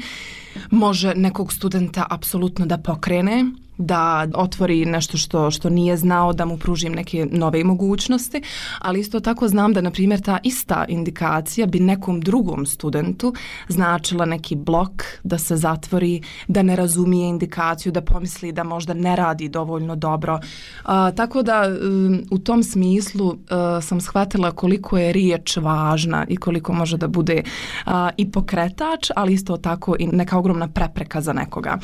može nekog studenta apsolutno da pokrene, da otvori nešto što, što nije znao, da mu pružim neke nove mogućnosti, ali isto tako znam da, na primjer, ta ista indikacija bi nekom drugom studentu značila neki blok, da se zatvori, da ne razumije indikaciju, da pomisli da možda ne radi dovoljno dobro. A, tako da um, u tom smislu uh, sam shvatila koliko je riječ važna i koliko može da bude uh, i pokretač, ali isto tako i neka ogromna prepreka za nekoga.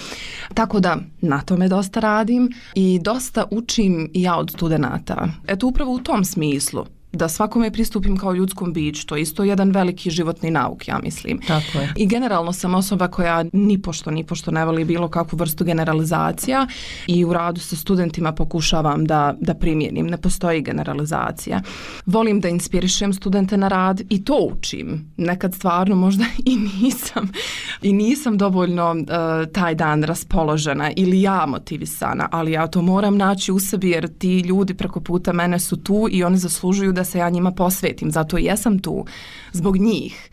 Tako da na tome dosta radim i dosta učim i ja od studenata. Eto, upravo u tom smislu, da svakome pristupim kao ljudskom biću, to je isto jedan veliki životni nauk, ja mislim. Tako je. I generalno sam osoba koja nipošto, nipošto ne voli bilo kakvu vrstu generalizacija i u radu sa studentima pokušavam da, da primijenim. Ne postoji generalizacija. Volim da inspirišem studente na rad i to učim. Nekad stvarno možda i nisam i nisam dovoljno uh, taj dan raspoložena ili ja motivisana, ali ja to moram naći u sebi jer ti ljudi preko puta mene su tu i oni zaslužuju da se ja njima posvetim, zato i jesam tu zbog njih.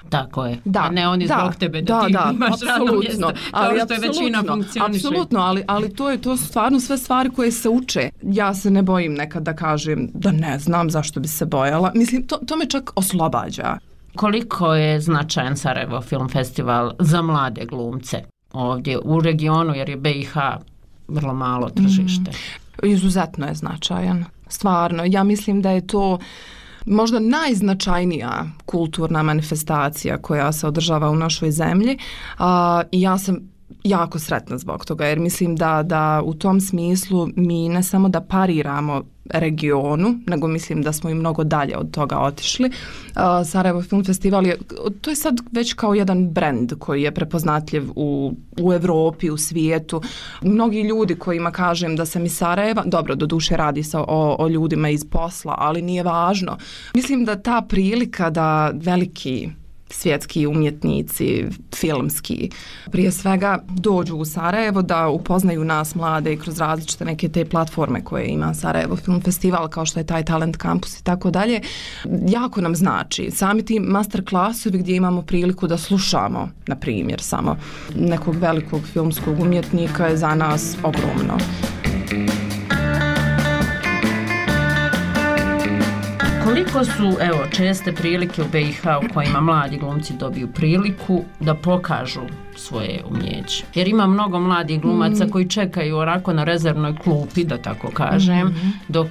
Tako je, da, a ne oni da, zbog tebe da, da ti da, imaš radno mjesto, kao što je većina funkcioniše. Apsolutno, ali, ali to, je, to su stvarno sve stvari koje se uče. Ja se ne bojim nekad da kažem da ne znam zašto bi se bojala. Mislim, to, to me čak oslobađa. Koliko je značajan Sarajevo Film Festival za mlade glumce ovdje u regionu, jer je B i H vrlo malo tržište? Mm, izuzetno je značajan. Stvarno, ja mislim da je to možda najznačajnija kulturna manifestacija koja se održava u našoj zemlji a, i ja sam jako sretna zbog toga jer mislim da, da u tom smislu mi ne samo da pariramo regionu, nego mislim da smo i mnogo dalje od toga otišli. Uh, Sarajevo Film Festival je, to je sad već kao jedan brend koji je prepoznatljiv u, u Evropi, u svijetu. Mnogi ljudi kojima kažem da sam iz Sarajeva, dobro, doduše radi se o, o ljudima iz posla, ali nije važno. Mislim da ta prilika da veliki svjetski umjetnici, filmski, prije svega dođu u Sarajevo da upoznaju nas mlade i kroz različite neke te platforme koje ima Sarajevo Film Festival, kao što je taj Talent Campus i tako dalje, jako nam znači. Sami ti master klasovi gdje imamo priliku da slušamo, na primjer, samo nekog velikog filmskog umjetnika je za nas ogromno. Koliko su, evo, česte prilike u B i H u kojima mladi glumci dobiju priliku da pokažu svoje umjeće? Jer ima mnogo mladih glumaca mm. koji čekaju onako na rezervnoj klupi, da tako kažem, mm-hmm. dok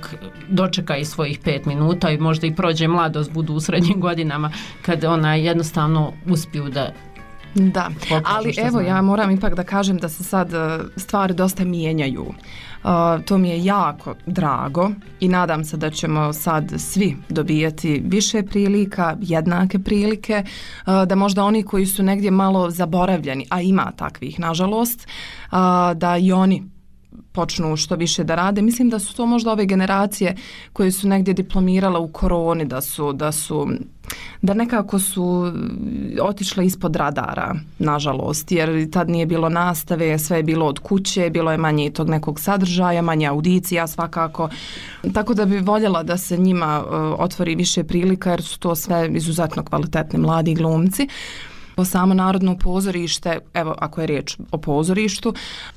dočeka i svojih pet minuta i možda i prođe mladost, budu u srednjim godinama, kad ona jednostavno uspiju da Da, ali evo znam. Ja moram ipak da kažem da se sad stvari dosta mijenjaju. Uh, to mi je jako drago i nadam se da ćemo sad svi dobijati više prilika, jednake prilike, uh, da možda oni koji su negdje malo zaboravljeni, a ima takvih nažalost, uh, da i oni počnu što više da rade. Mislim da su to možda ove generacije koje su negdje diplomirale u koroni, da su, da su da nekako su otišle ispod radara, nažalost, jer tad nije bilo nastave, sve je bilo od kuće, bilo je manje tog nekog sadržaja, manje audicija svakako. Tako da bi voljela da se njima uh, otvori više prilika, jer su to sve izuzetno kvalitetni mladi glumci. Samo Narodno pozorište, evo ako je riječ o pozorištu,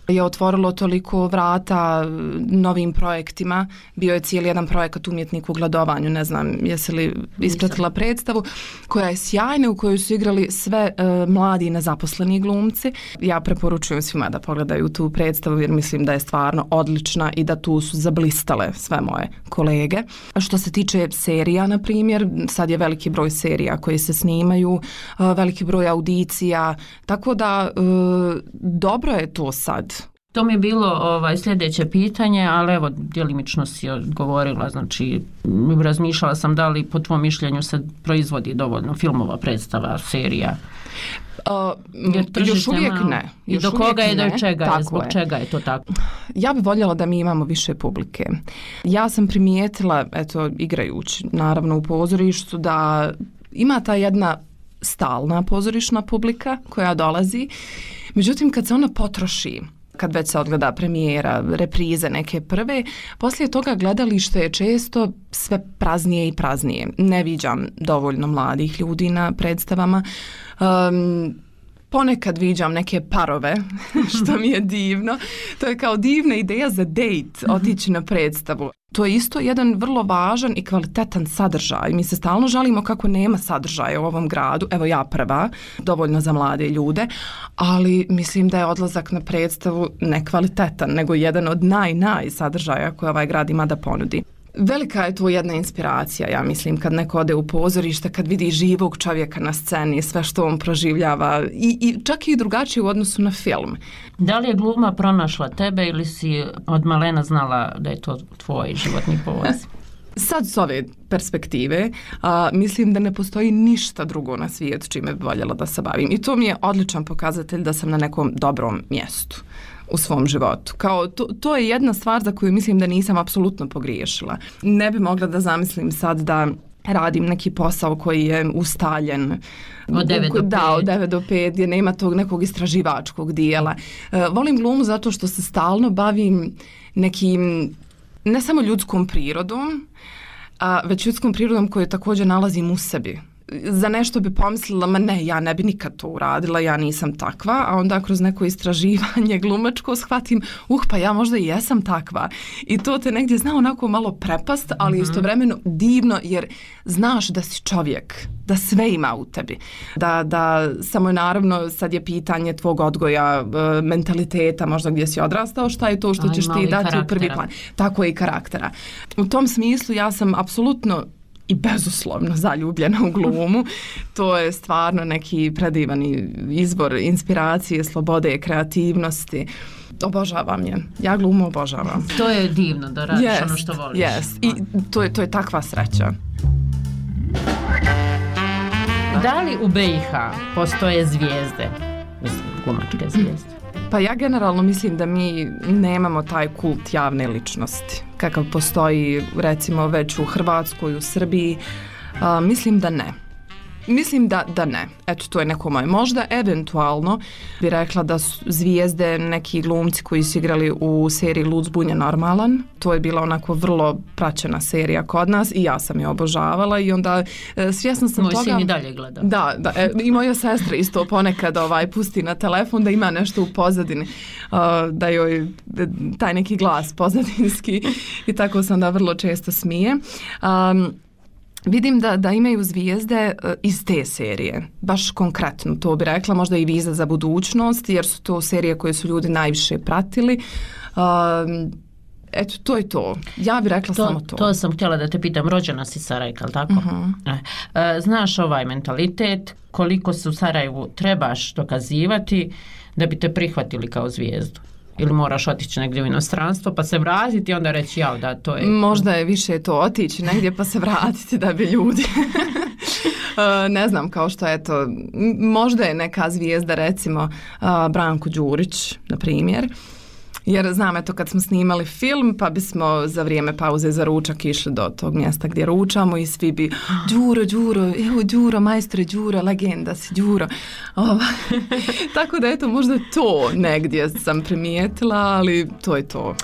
je otvorilo toliko vrata novim projektima. Bio je cijeli jedan projekat Umjetnik u gladovanju, ne znam jesi li ispratila predstavu, koja je sjajna, u kojoj su igrali sve uh, mladi i nezaposleni glumci. Ja preporučujem svima da pogledaju tu predstavu jer mislim da je stvarno odlična i da tu su zablistale sve moje kolege. A što se tiče serija, na primjer, sad je veliki broj serija koji se snimaju, uh, veliki broj audicija, tako da e, dobro je to sad. To mi je bilo ovaj, sljedeće pitanje, ali evo, djelimično si odgovorila, znači razmišljala sam da li po tvom mišljenju se proizvodi dovoljno filmova, predstava, serija. Uh, još uvijek malo. ne. I Još do koga je, do čega je, zbog je. čega je to tako? Ja bih voljela da mi imamo više publike. Ja sam primijetila, eto, igrajući naravno u pozorištu, da ima ta jedna stalna pozorišna publika koja dolazi. Međutim, kad se ona potroši, kad već se odgleda premijera, reprize neke prve, poslije toga gledalište je često sve praznije i praznije. Ne viđam dovoljno mladih ljudi na predstavama. Um, Ponekad viđam neke parove, što mi je divno. To je kao divna ideja za dejt, otići na predstavu. To je isto jedan vrlo važan i kvalitetan sadržaj. Mi se stalno žalimo kako nema sadržaja u ovom gradu. Evo ja prva, dovoljno za mlade ljude, ali mislim da je odlazak na predstavu nekvalitetan, nego jedan od naj, naj sadržaja koje ovaj grad ima da ponudi. Velika je tu jedna inspiracija, ja mislim, kad neko ode u pozorište, kad vidi živog čovjeka na sceni, sve što on proživljava i, i čak i drugačije u odnosu na film. Da li je gluma pronašla tebe ili si od malena znala da je to tvoj životni poziv? Sad s ove perspektive a, mislim da ne postoji ništa drugo na svijetu čime bi voljela da se bavim. I to mi je odličan pokazatelj da sam na nekom dobrom mjestu u svom životu. Kao to, to je jedna stvar za koju mislim da nisam apsolutno pogriješila. Ne bi mogla da zamislim sad da radim neki posao koji je ustaljen od devet do pet. Da, od devet do pet, gdje nema tog nekog istraživačkog dijela. E, volim glumu zato što se stalno bavim nekim, ne samo ljudskom prirodom, a već ljudskom prirodom koju također nalazim u sebi. Za nešto bi pomislila, ma ne, ja ne bi nikad to uradila, ja nisam takva, a onda kroz neko istraživanje glumačko shvatim, uh, pa ja možda i jesam takva. I to te negdje zna onako malo prepast, ali mm-hmm. istovremeno divno, jer znaš da si čovjek, da sve ima u tebi. Da, da samo je naravno, sad je pitanje tvog odgoja, mentaliteta, možda gdje si odrastao, šta je to što ćeš ti dati karaktera. U prvi plan. Tako je i karaktera. U tom smislu ja sam apsolutno i bezuslovno zaljubljena u glumu. To je stvarno neki predivan izvor inspiracije, slobode, kreativnosti. Obožavam je. Ja glumu obožavam. To je divno da radiš yes, ono što voliš. Yes. I to je, to je takva sreća. Da li u B i H postoje zvijezde? Mislim, glumačke zvijezde. Pa ja generalno mislim da mi nemamo taj kult javne ličnosti kakav postoji recimo već u Hrvatskoj, u Srbiji. A, mislim da ne. Mislim da, da ne. Eto, to je neko moje. Možda eventualno bi rekla da su zvijezde neki glumci koji su igrali u seriji Lud, zbunjen, normalan. To je bila onako vrlo praćena serija kod nas i ja sam je obožavala i onda e, svjesna sam moj toga... Moj sin i dalje gleda. Da, da e, i moja sestra isto ponekad ovaj, pusti na telefon da ima nešto u pozadini, uh, da joj taj neki glas pozadinski i tako se onda vrlo često smije. Um, Vidim da, da imaju zvijezde uh, iz te serije, baš konkretno to bi rekla, možda i Viza za budućnost, jer su to serije koje su ljudi najviše pratili. Uh, eto, to je to. Ja bih rekla to, samo to. To sam htjela da te pitam, rođena si Sarajka, ali tako? Uh-huh. E, znaš ovaj mentalitet, koliko se u Sarajevu trebaš dokazivati da bi te prihvatili kao zvijezdu? Ili moraš otići negdje u inostranstvo pa se vratiti i onda reći ja da to je... Možda je više to otići negdje pa se vratiti da bi ljudi... ne znam, kao što je to... Možda je neka zvijezda, recimo uh, Branko Đurić, na primjer. Jer znam, eto, kad smo snimali film, pa bismo za vrijeme pauze za ručak išli do tog mjesta gdje ručamo i svi bi Đuro, Đuro, evo Đuro, majstore Đuro, legenda si Đuro. Ova. Tako da, eto, možda to negdje sam primijetila, ali to je to.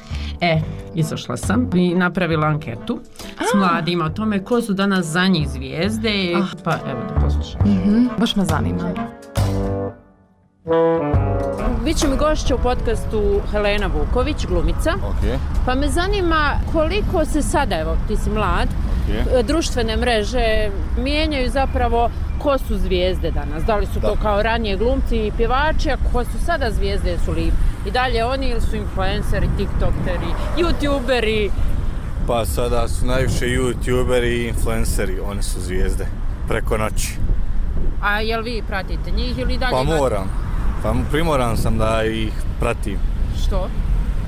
E, izašla sam i napravila anketu s mladima o tome ko su danas za njih zvijezde, ah. pa evo da poslušam. Mm-hmm. Baš me zanima. Biće mi gošća u podcastu Helena Vuković, glumica, okay. Pa me zanima koliko se sada, evo ti si mlad, okay. društvene mreže mijenjaju zapravo ko su zvijezde danas, da li su da. to kao ranije glumci i pjevači, a ko su sada zvijezde, su li i dalje oni ili su influenceri, tiktokeri, youtuberi? Pa sada su najviše youtuberi i influenceri, oni su zvijezde, preko noći. A jel vi pratite njih ili dalje? Pa moram, pa primoran sam da ih pratim. Što?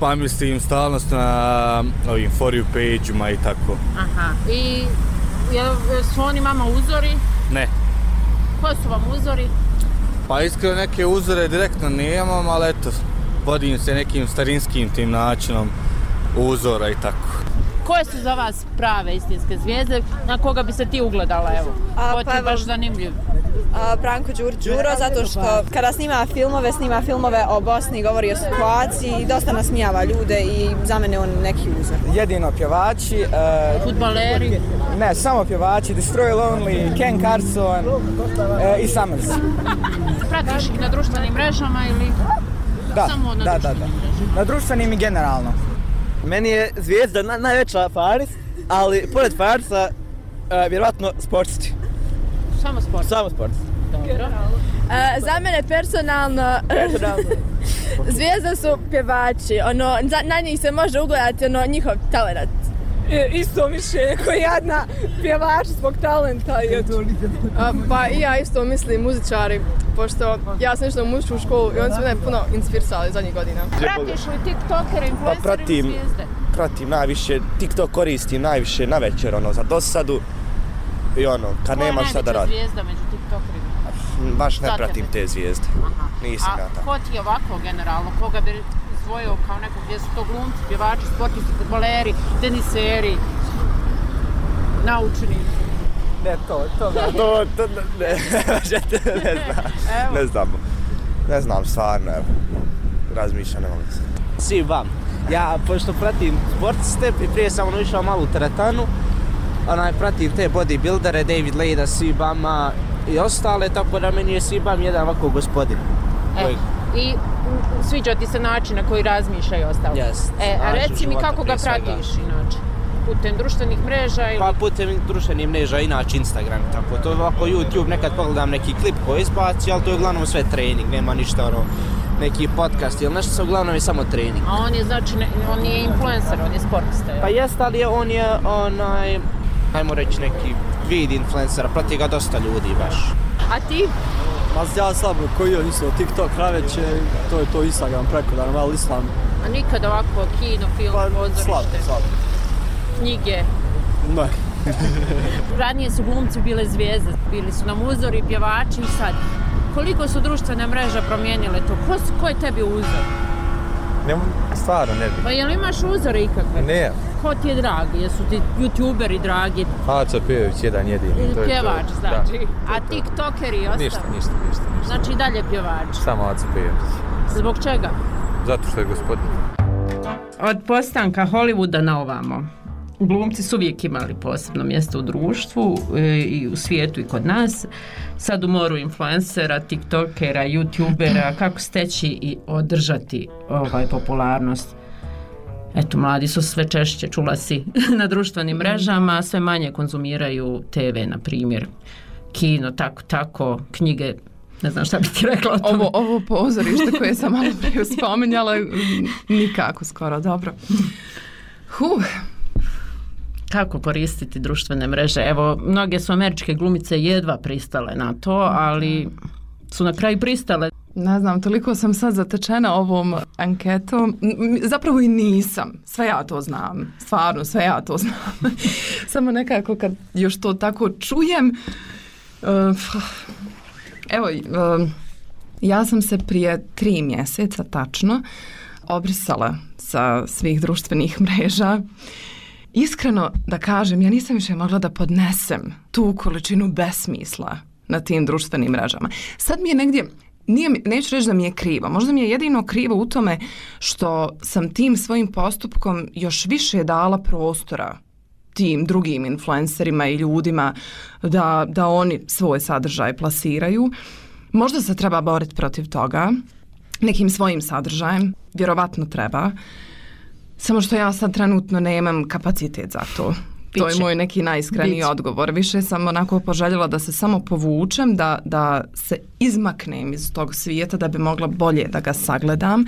Pa mislim stalnost na ovim for you page-uma i tako. Aha, i jel su oni vama uzori? Ne. Ko su vam uzori? Pa iskreno neke uzore direktno nemam, ali eto, vodim se nekim starinskim tim načinom uzora i tako. Koje su za vas prave istinske zvijezde, na koga bi se ti ugledala, evo? A, pa, je baš zanimljiv. A, Branko Đur Đuro, zato što kada snima filmove, snima filmove o Bosni, govori o situaciji i dosta nasmijava ljude i za mene on neki uzor. Jedino pjevači. Uh, Fudbaleri? Ne, samo pjevači, Destroy Lonely, Ken Carson uh, i Summers. Pratiš ih na društvenim mrežama ili da, samo na da, društvenim da, da. mrežama? Na društvenim i generalno. Meni je zvijezda na, najveća Faris, ali pored Farisa, uh, vjerovatno sportski. Samo sportski? Samo sportski. Dobro. Uh, za mene personalno, personalno. zvijezda su pjevači, ono, na njih se može ugledati ono, njihov talent. E, isto mišljenje koji jedna pjevač zbog talenta. I A, pa i ja isto mislim muzičari, pošto ja sam išla u muzičku školu i oni su mene puno inspirisali zadnjih godina. Pratiš li tiktokere, influencere pa pratim, ili zvijezde? Pratim najviše, TikTok koristim najviše na večer, ono, za dosadu i ono, kad nema šta da radim. Koja je najveća zvijezda među tiktokerima? Baš ne pratim te zvijezde. Aha. Nisam ja tako. A ko ti je ovako generalno, koga bi izdvojio kao nekog, gdje su to glumci, pjevači, sportisti, fudbaleri, teniseri, naučnici? Ne, to, to, to, to, ne, ne znam, ne znam, ne znam, stvarno, evo, razmišljam, ne mogu se. Svi vam, ja, pošto pratim sportiste, prije sam ono išao malo u teretanu, onaj, pratim te bodybuildere, David Lejda, Sibama i ostale, tako da meni je Sibam jedan ovako gospodin. E, koji... I sviđa ti se način na koji razmišljaju ostalo? Yes. E, a reci mi kako ga pratiš inače? Putem društvenih mreža ili... Pa putem društvenih mreža, inače Instagram, tako. To ovako YouTube, nekad pogledam neki klip koji izbaci, ali to je uglavnom sve trening, nema ništa ono, neki podcast ili nešto, uglavnom je samo trening. A on je znači, ne, on je influencer, on je sportista? Pa jest, ali on je onaj, ajmo reći neki vid influencera, prati ga dosta ljudi baš. A ti? Ma ja slabo koji on isto TikTok naveće, to je to Instagram preko da malo islam. A nikad ovako kino, film, pa, pozorište? Slabo, slabo. Knjige? Ne. Ranije su glumci bile zvijezde, bili su nam uzori, pjevači i sad. Koliko su društvene mreže promijenile to? Ko, ko je tebi uzor? Ne, stvarno ne bi. Pa jel imaš uzore ikakve? Ne. Ko ti je dragi? Jesu ti youtuberi dragi? Aca Pejović, jedan jedini. To pjevač, to. znači. Da, a tiktokeri i ostalo? Ništa, ništa, ništa, ništa. Znači i dalje pjevač? Samo Aca Pejović. Zbog čega? Zato što je gospodin. Od postanka Hollywooda na ovamo, glumci su uvijek imali posebno mjesto u društvu i u svijetu i kod nas. Sad u moru influencera, tiktokera, youtubera, kako steći i održati ovaj popularnost. Eto, mladi su sve češće, čula si, na društvenim mrežama, sve manje konzumiraju te ve, na primjer, kino, tako, tako, knjige, ne znam šta bi ti rekla o tome. Ovo, ovo pozorište koje sam malo prije spominjala, nikako skoro, dobro. Huh. Kako koristiti društvene mreže? Evo, mnoge su američke glumice jedva pristale na to, ali su na kraju pristale. Ne znam, toliko sam sad zatečena ovom anketom. Zapravo i nisam. Sve ja to znam. Stvarno, sve ja to znam. Samo nekako kad još to tako čujem. Evo, ja sam se prije tri mjeseca tačno obrisala sa svih društvenih mreža. Iskreno da kažem, ja nisam više mogla da podnesem tu količinu besmisla na tim društvenim mrežama. Sad mi je negdje, nije, neću reći da mi je krivo, možda mi je jedino krivo u tome što sam tim svojim postupkom još više dala prostora tim drugim influencerima i ljudima da, da oni svoj sadržaj plasiraju. Možda se treba boriti protiv toga nekim svojim sadržajem, vjerovatno treba, samo što ja sad trenutno nemam kapacitet za to. Biće. To je moj neki najiskreniji Biće. odgovor. Više sam onako poželjela da se samo povučem, da, da se izmaknem iz tog svijeta da bi mogla bolje da ga sagledam. Um,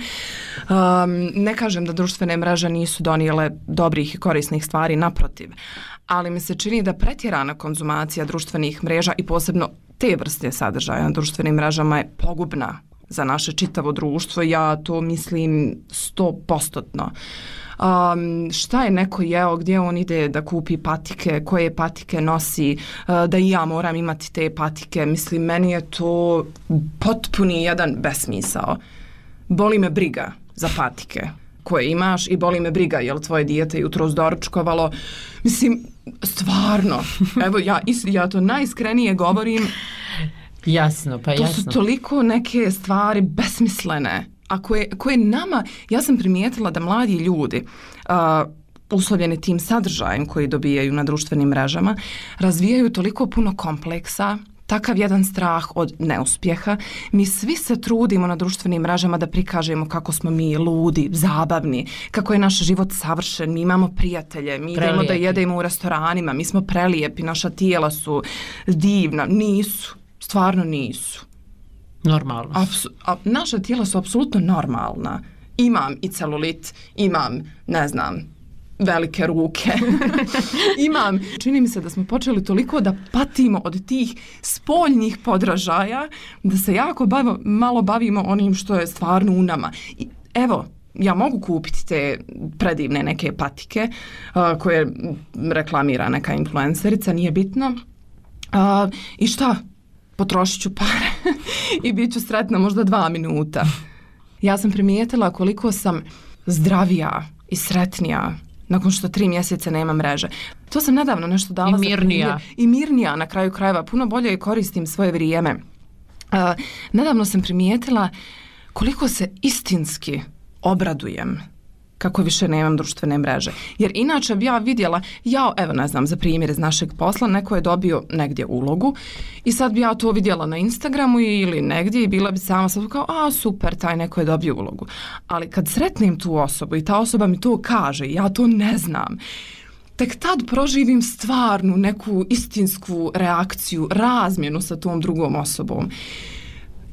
ne kažem da društvene mreže nisu donijele dobrih i korisnih stvari, naprotiv. Ali mi se čini da pretjerana konzumacija društvenih mreža i posebno te vrste sadržaja na društvenim mrežama je pogubna za naše čitavo društvo. Ja to mislim sto postotno. Um, šta je neko jeo, gdje on ide da kupi patike, koje patike nosi, uh, da i ja moram imati te patike. Mislim, meni je to potpuni jedan besmisao. Boli me briga za patike koje imaš i boli me briga je li tvoje dijete jutro doručkovalo. Mislim, stvarno, evo ja, ja to najiskrenije govorim. Jasno, pa jasno. To su toliko neke stvari besmislene. A koje, koje nama, ja sam primijetila da mladi ljudi, uh, uslovljeni tim sadržajem koji dobijaju na društvenim mrežama, razvijaju toliko puno kompleksa, takav jedan strah od neuspjeha. Mi svi se trudimo na društvenim mrežama da prikažemo kako smo mi ludi, zabavni, kako je naš život savršen, mi imamo prijatelje, mi prelijepi. Idemo da jedemo u restoranima, mi smo prelijepi, naša tijela su divna. Nisu, stvarno nisu. Normalno. Apsu, a, naša tijela su apsolutno normalna. Imam i celulit, imam, ne znam, velike ruke. Imam, čini mi se da smo počeli toliko da patimo od tih spoljnih podražaja, da se jako bavo, malo bavimo onim što je stvarno u nama. I, evo, ja mogu kupiti te predivne neke patike uh, koje reklamira neka influencerica, nije bitno. Uh, I šta? Potrošit ću pare i bit ću sretna možda dva minuta. Ja sam primijetila koliko sam zdravija i sretnija nakon što tri mjeseca nema mreže. To sam nedavno nešto dala. I mirnija. Za I mirnija na kraju krajeva. Puno bolje koristim svoje vrijeme. Uh, nedavno sam primijetila koliko se istinski obradujem kako više nemam društvene mreže. Jer inače bi ja vidjela, ja, evo ne znam, za primjer iz našeg posla, neko je dobio negdje ulogu i sad bi ja to vidjela na Instagramu ili negdje i bila bi sama sad kao, a super, taj neko je dobio ulogu. Ali kad sretnem tu osobu i ta osoba mi to kaže, ja to ne znam, tek tad proživim stvarnu neku istinsku reakciju, razmjenu sa tom drugom osobom.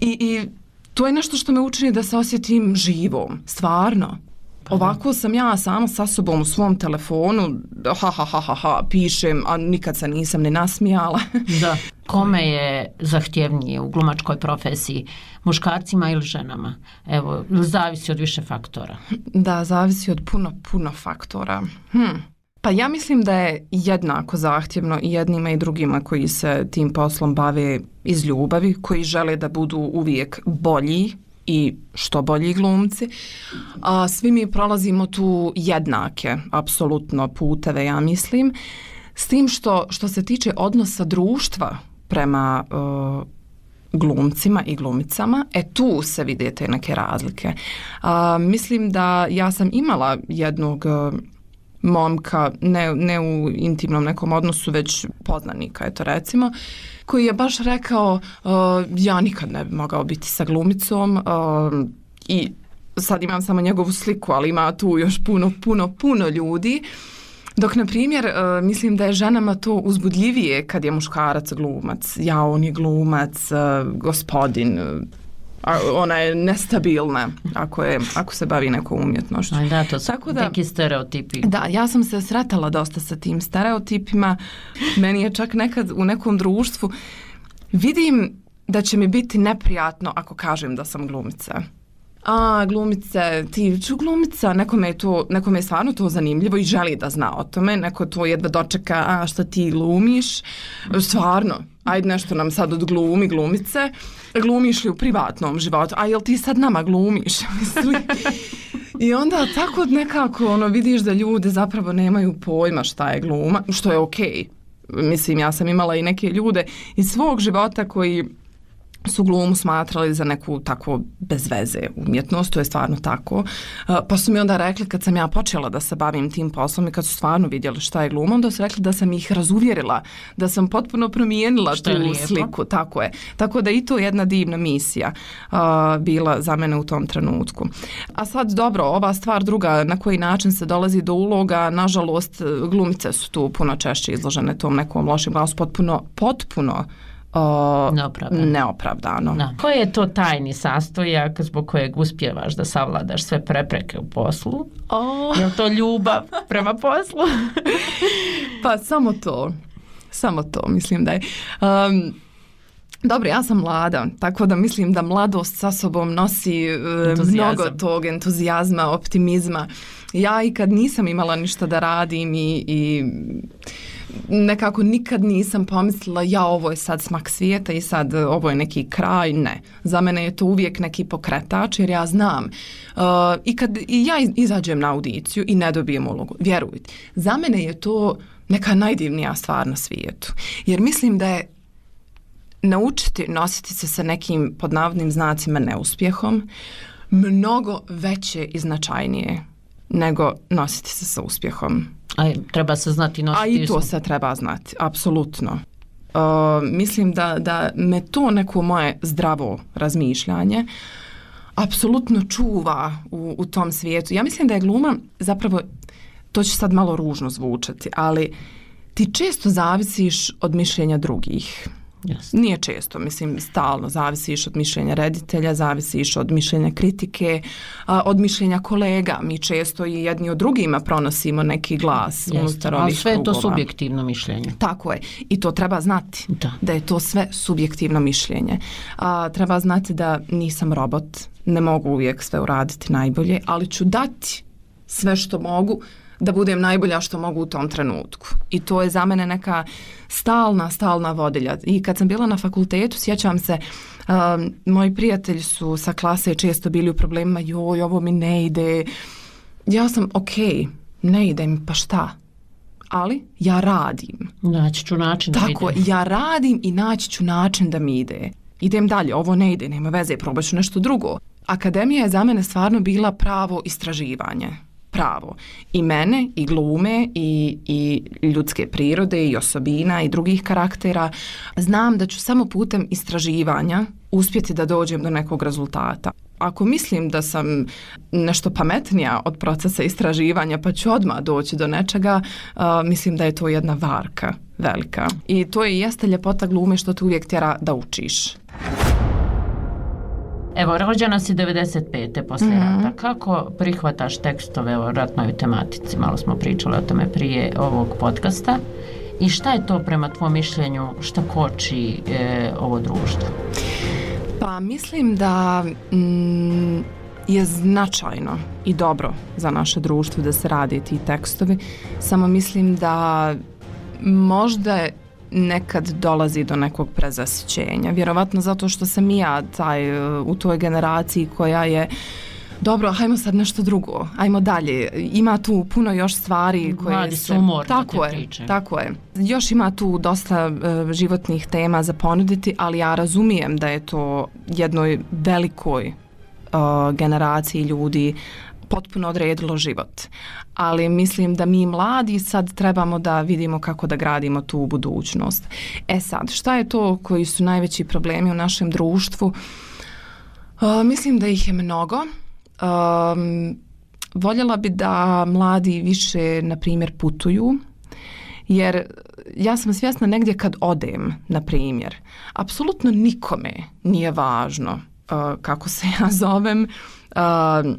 I, i to je nešto što me učini da se osjetim živom, stvarno. Ovako sam ja sama sa sobom u svom telefonu, ha, ha, ha, ha, ha, pišem, a nikad se nisam ne nasmijala. Da. Kome je zahtjevnije u glumačkoj profesiji, muškarcima ili ženama? Evo, zavisi od više faktora. Da, zavisi od puno, puno faktora. Hm. Pa ja mislim da je jednako zahtjevno i jednima i drugima koji se tim poslom bave iz ljubavi, koji žele da budu uvijek bolji i što bolji glumci. A svi mi prolazimo tu jednake, apsolutno, puteve, ja mislim. S tim što, što se tiče odnosa društva prema uh, glumcima i glumicama, e tu se vide te neke razlike. A, mislim da ja sam imala jednog uh, momka, ne, ne u intimnom nekom odnosu, već poznanika, eto recimo, koji je baš rekao, uh, ja nikad ne bi mogao biti sa glumicom uh, i sad imam samo njegovu sliku, ali ima tu još puno, puno, puno ljudi. Dok, na primjer, uh, mislim da je ženama to uzbudljivije kad je muškarac glumac. Ja, on je glumac, uh, gospodin, uh, a ona je nestabilna ako, je, ako se bavi nekom umjetnošću. Aj da, to su Tako da, neki stereotipi. Da, ja sam se sretala dosta sa tim stereotipima. Meni je čak nekad u nekom društvu vidim da će mi biti neprijatno ako kažem da sam glumica. A, glumice, ti ću glumica, nekome je, to, nekome je stvarno to zanimljivo i želi da zna o tome, neko to jedva dočeka, a šta ti glumiš, stvarno, ajde nešto nam sad od glumi, glumice, glumiš li u privatnom životu, a jel ti sad nama glumiš? I onda tako nekako ono, vidiš da ljude zapravo nemaju pojma šta je gluma, što je okej. Okay. Mislim, ja sam imala i neke ljude iz svog života koji su glumu smatrali za neku tako bez veze umjetnost, to je stvarno tako. Pa su mi onda rekli kad sam ja počela da se bavim tim poslom i kad su stvarno vidjeli šta je gluma, onda su rekli da sam ih razuvjerila, da sam potpuno promijenila tu sliku. Tako je. Tako da i to je jedna divna misija uh, bila za mene u tom trenutku. A sad dobro, ova stvar druga, na koji način se dolazi do uloga, nažalost glumice su tu puno češće izložene tom nekom lošim glasu, potpuno, potpuno O, neopravdano. neopravdano. Da. Koji je to tajni sastojak zbog kojeg uspijevaš da savladaš sve prepreke u poslu? Oh. Je li to ljubav prema poslu? Pa samo to. Samo to, mislim da je. Um, Dobro, ja sam mlada, tako da mislim da mladost sa sobom nosi uh, mnogo tog entuzijazma, optimizma. Ja i kad nisam imala ništa da radim i, i nekako nikad nisam pomislila ja ovo je sad smak svijeta i sad ovo je neki kraj, ne. Za mene je to uvijek neki pokretač jer ja znam uh, i kad i ja izađem na audiciju i ne dobijem ulogu, vjerujte, za mene je to neka najdivnija stvar na svijetu. Jer mislim da je naučiti nositi se sa nekim pod navodnim znacima neuspjehom mnogo veće i značajnije nego nositi se sa uspjehom. A treba se znati nositi. A i to se treba znati, apsolutno. Uh, mislim da, da me to neko moje zdravo razmišljanje apsolutno čuva u, u tom svijetu. Ja mislim da je gluma zapravo, to će sad malo ružno zvučati, ali ti često zavisiš od mišljenja drugih. Yes. Nije često, mislim, stalno zavisiš od mišljenja reditelja, zavisiš od mišljenja kritike, od mišljenja kolega. Mi često i jedni od drugima pronosimo neki glas yes. unutar ovih krugova. Ali sve je to krugova. Subjektivno mišljenje. Tako je. I to treba znati. Da, da je to sve subjektivno mišljenje. A, treba znati da nisam robot, ne mogu uvijek sve uraditi najbolje, ali ću dati sve što mogu da budem najbolja što mogu u tom trenutku. I to je za mene neka stalna, stalna vodilja. I kad sam bila na fakultetu, sjećam se, um, moji prijatelji su sa klase često bili u problemima, joj, ovo mi ne ide. Ja sam, ok, ne ide mi, pa šta? Ali ja radim. Naći ću način da Tako, ide. ja radim i naći ću način da mi ide. Idem dalje, ovo ne ide, nema veze, probat ću nešto drugo. Akademija je za mene stvarno bila pravo istraživanje. Pravo. I mene, i glume, i, i ljudske prirode, i osobina, i drugih karaktera. Znam da ću samo putem istraživanja uspjeti da dođem do nekog rezultata. Ako mislim da sam nešto pametnija od procesa istraživanja pa ću odmah doći do nečega, uh, mislim da je to jedna varka velika. I to je jeste ljepota glume što te uvijek tjera da učiš. Evo, rođena si devedeset pete poslije mm-hmm. rata. Kako prihvataš tekstove o ratnoj tematici? Malo smo pričali o tome prije ovog podcasta. I šta je to prema tvom mišljenju, šta koči e, ovo društvo? Pa mislim da mm, je značajno i dobro za naše društvo da se rade ti tekstovi. Samo mislim da možda nekad dolazi do nekog prezasićenja. Vjerovatno zato što sam i ja taj, u toj generaciji koja je dobro, hajmo sad nešto drugo, ajmo dalje. Ima tu puno još stvari koje Mladi se... su umorni tako te je, priče. Tako je. Još ima tu dosta uh, životnih tema za ponuditi, ali ja razumijem da je to jednoj velikoj uh, generaciji ljudi potpuno odredilo život. Ali mislim da mi mladi sad trebamo da vidimo kako da gradimo tu budućnost. E sad, šta je to koji su najveći problemi u našem društvu? Uh, mislim da ih je mnogo. Um, voljela bi da mladi više, na primjer, putuju, jer ja sam svjesna negdje kad odem, na primjer, apsolutno nikome nije važno uh, kako se ja zovem, uh,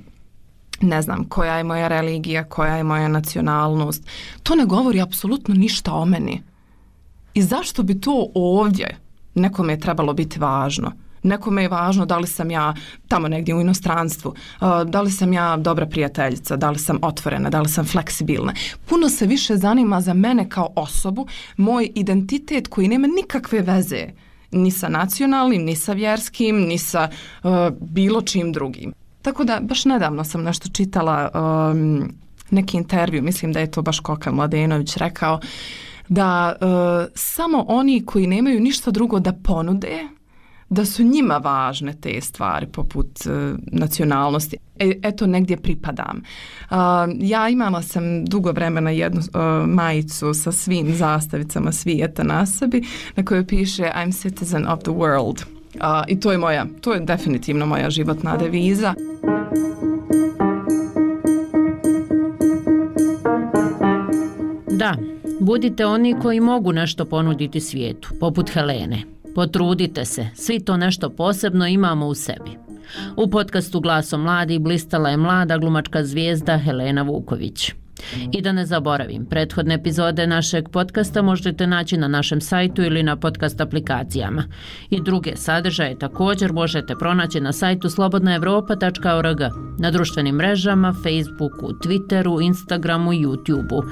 ne znam, koja je moja religija, koja je moja nacionalnost. To ne govori apsolutno ništa o meni. I zašto bi to ovdje nekome je trebalo biti važno? Nekome je važno da li sam ja tamo negdje u inostranstvu, da li sam ja dobra prijateljica, da li sam otvorena, da li sam fleksibilna. Puno se više zanima za mene kao osobu, moj identitet koji nema nikakve veze ni sa nacionalnim, ni sa vjerskim, ni sa uh, bilo čim drugim. Tako da, baš nedavno sam nešto čitala, um, neki intervju, mislim da je to baš Koka Mladenović rekao, da uh, samo oni koji nemaju ništa drugo da ponude, da su njima važne te stvari poput uh, nacionalnosti. E, eto, negdje pripadam. Uh, ja imala sam dugo vremena jednu uh, majicu sa svim zastavicama svijeta na sebi, na kojoj piše I'm citizen of the world. Uh, I to je moja, to je definitivno moja životna deviza. Da, budite oni koji mogu nešto ponuditi svijetu, poput Helene. Potrudite se, svi to nešto posebno imamo u sebi. U podcastu Glasom mladih blistala je mlada glumačka zvijezda Helena Vuković. I da ne zaboravim, prethodne epizode našeg podcasta možete naći na našem sajtu ili na podcast aplikacijama. I druge sadržaje također možete pronaći na sajtu slobodna evropa tačka org, na društvenim mrežama, Facebooku, Twitteru, Instagramu i YouTubeu.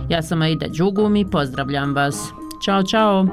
Ja sam Aida Đugum i pozdravljam vas. Ćao, čao!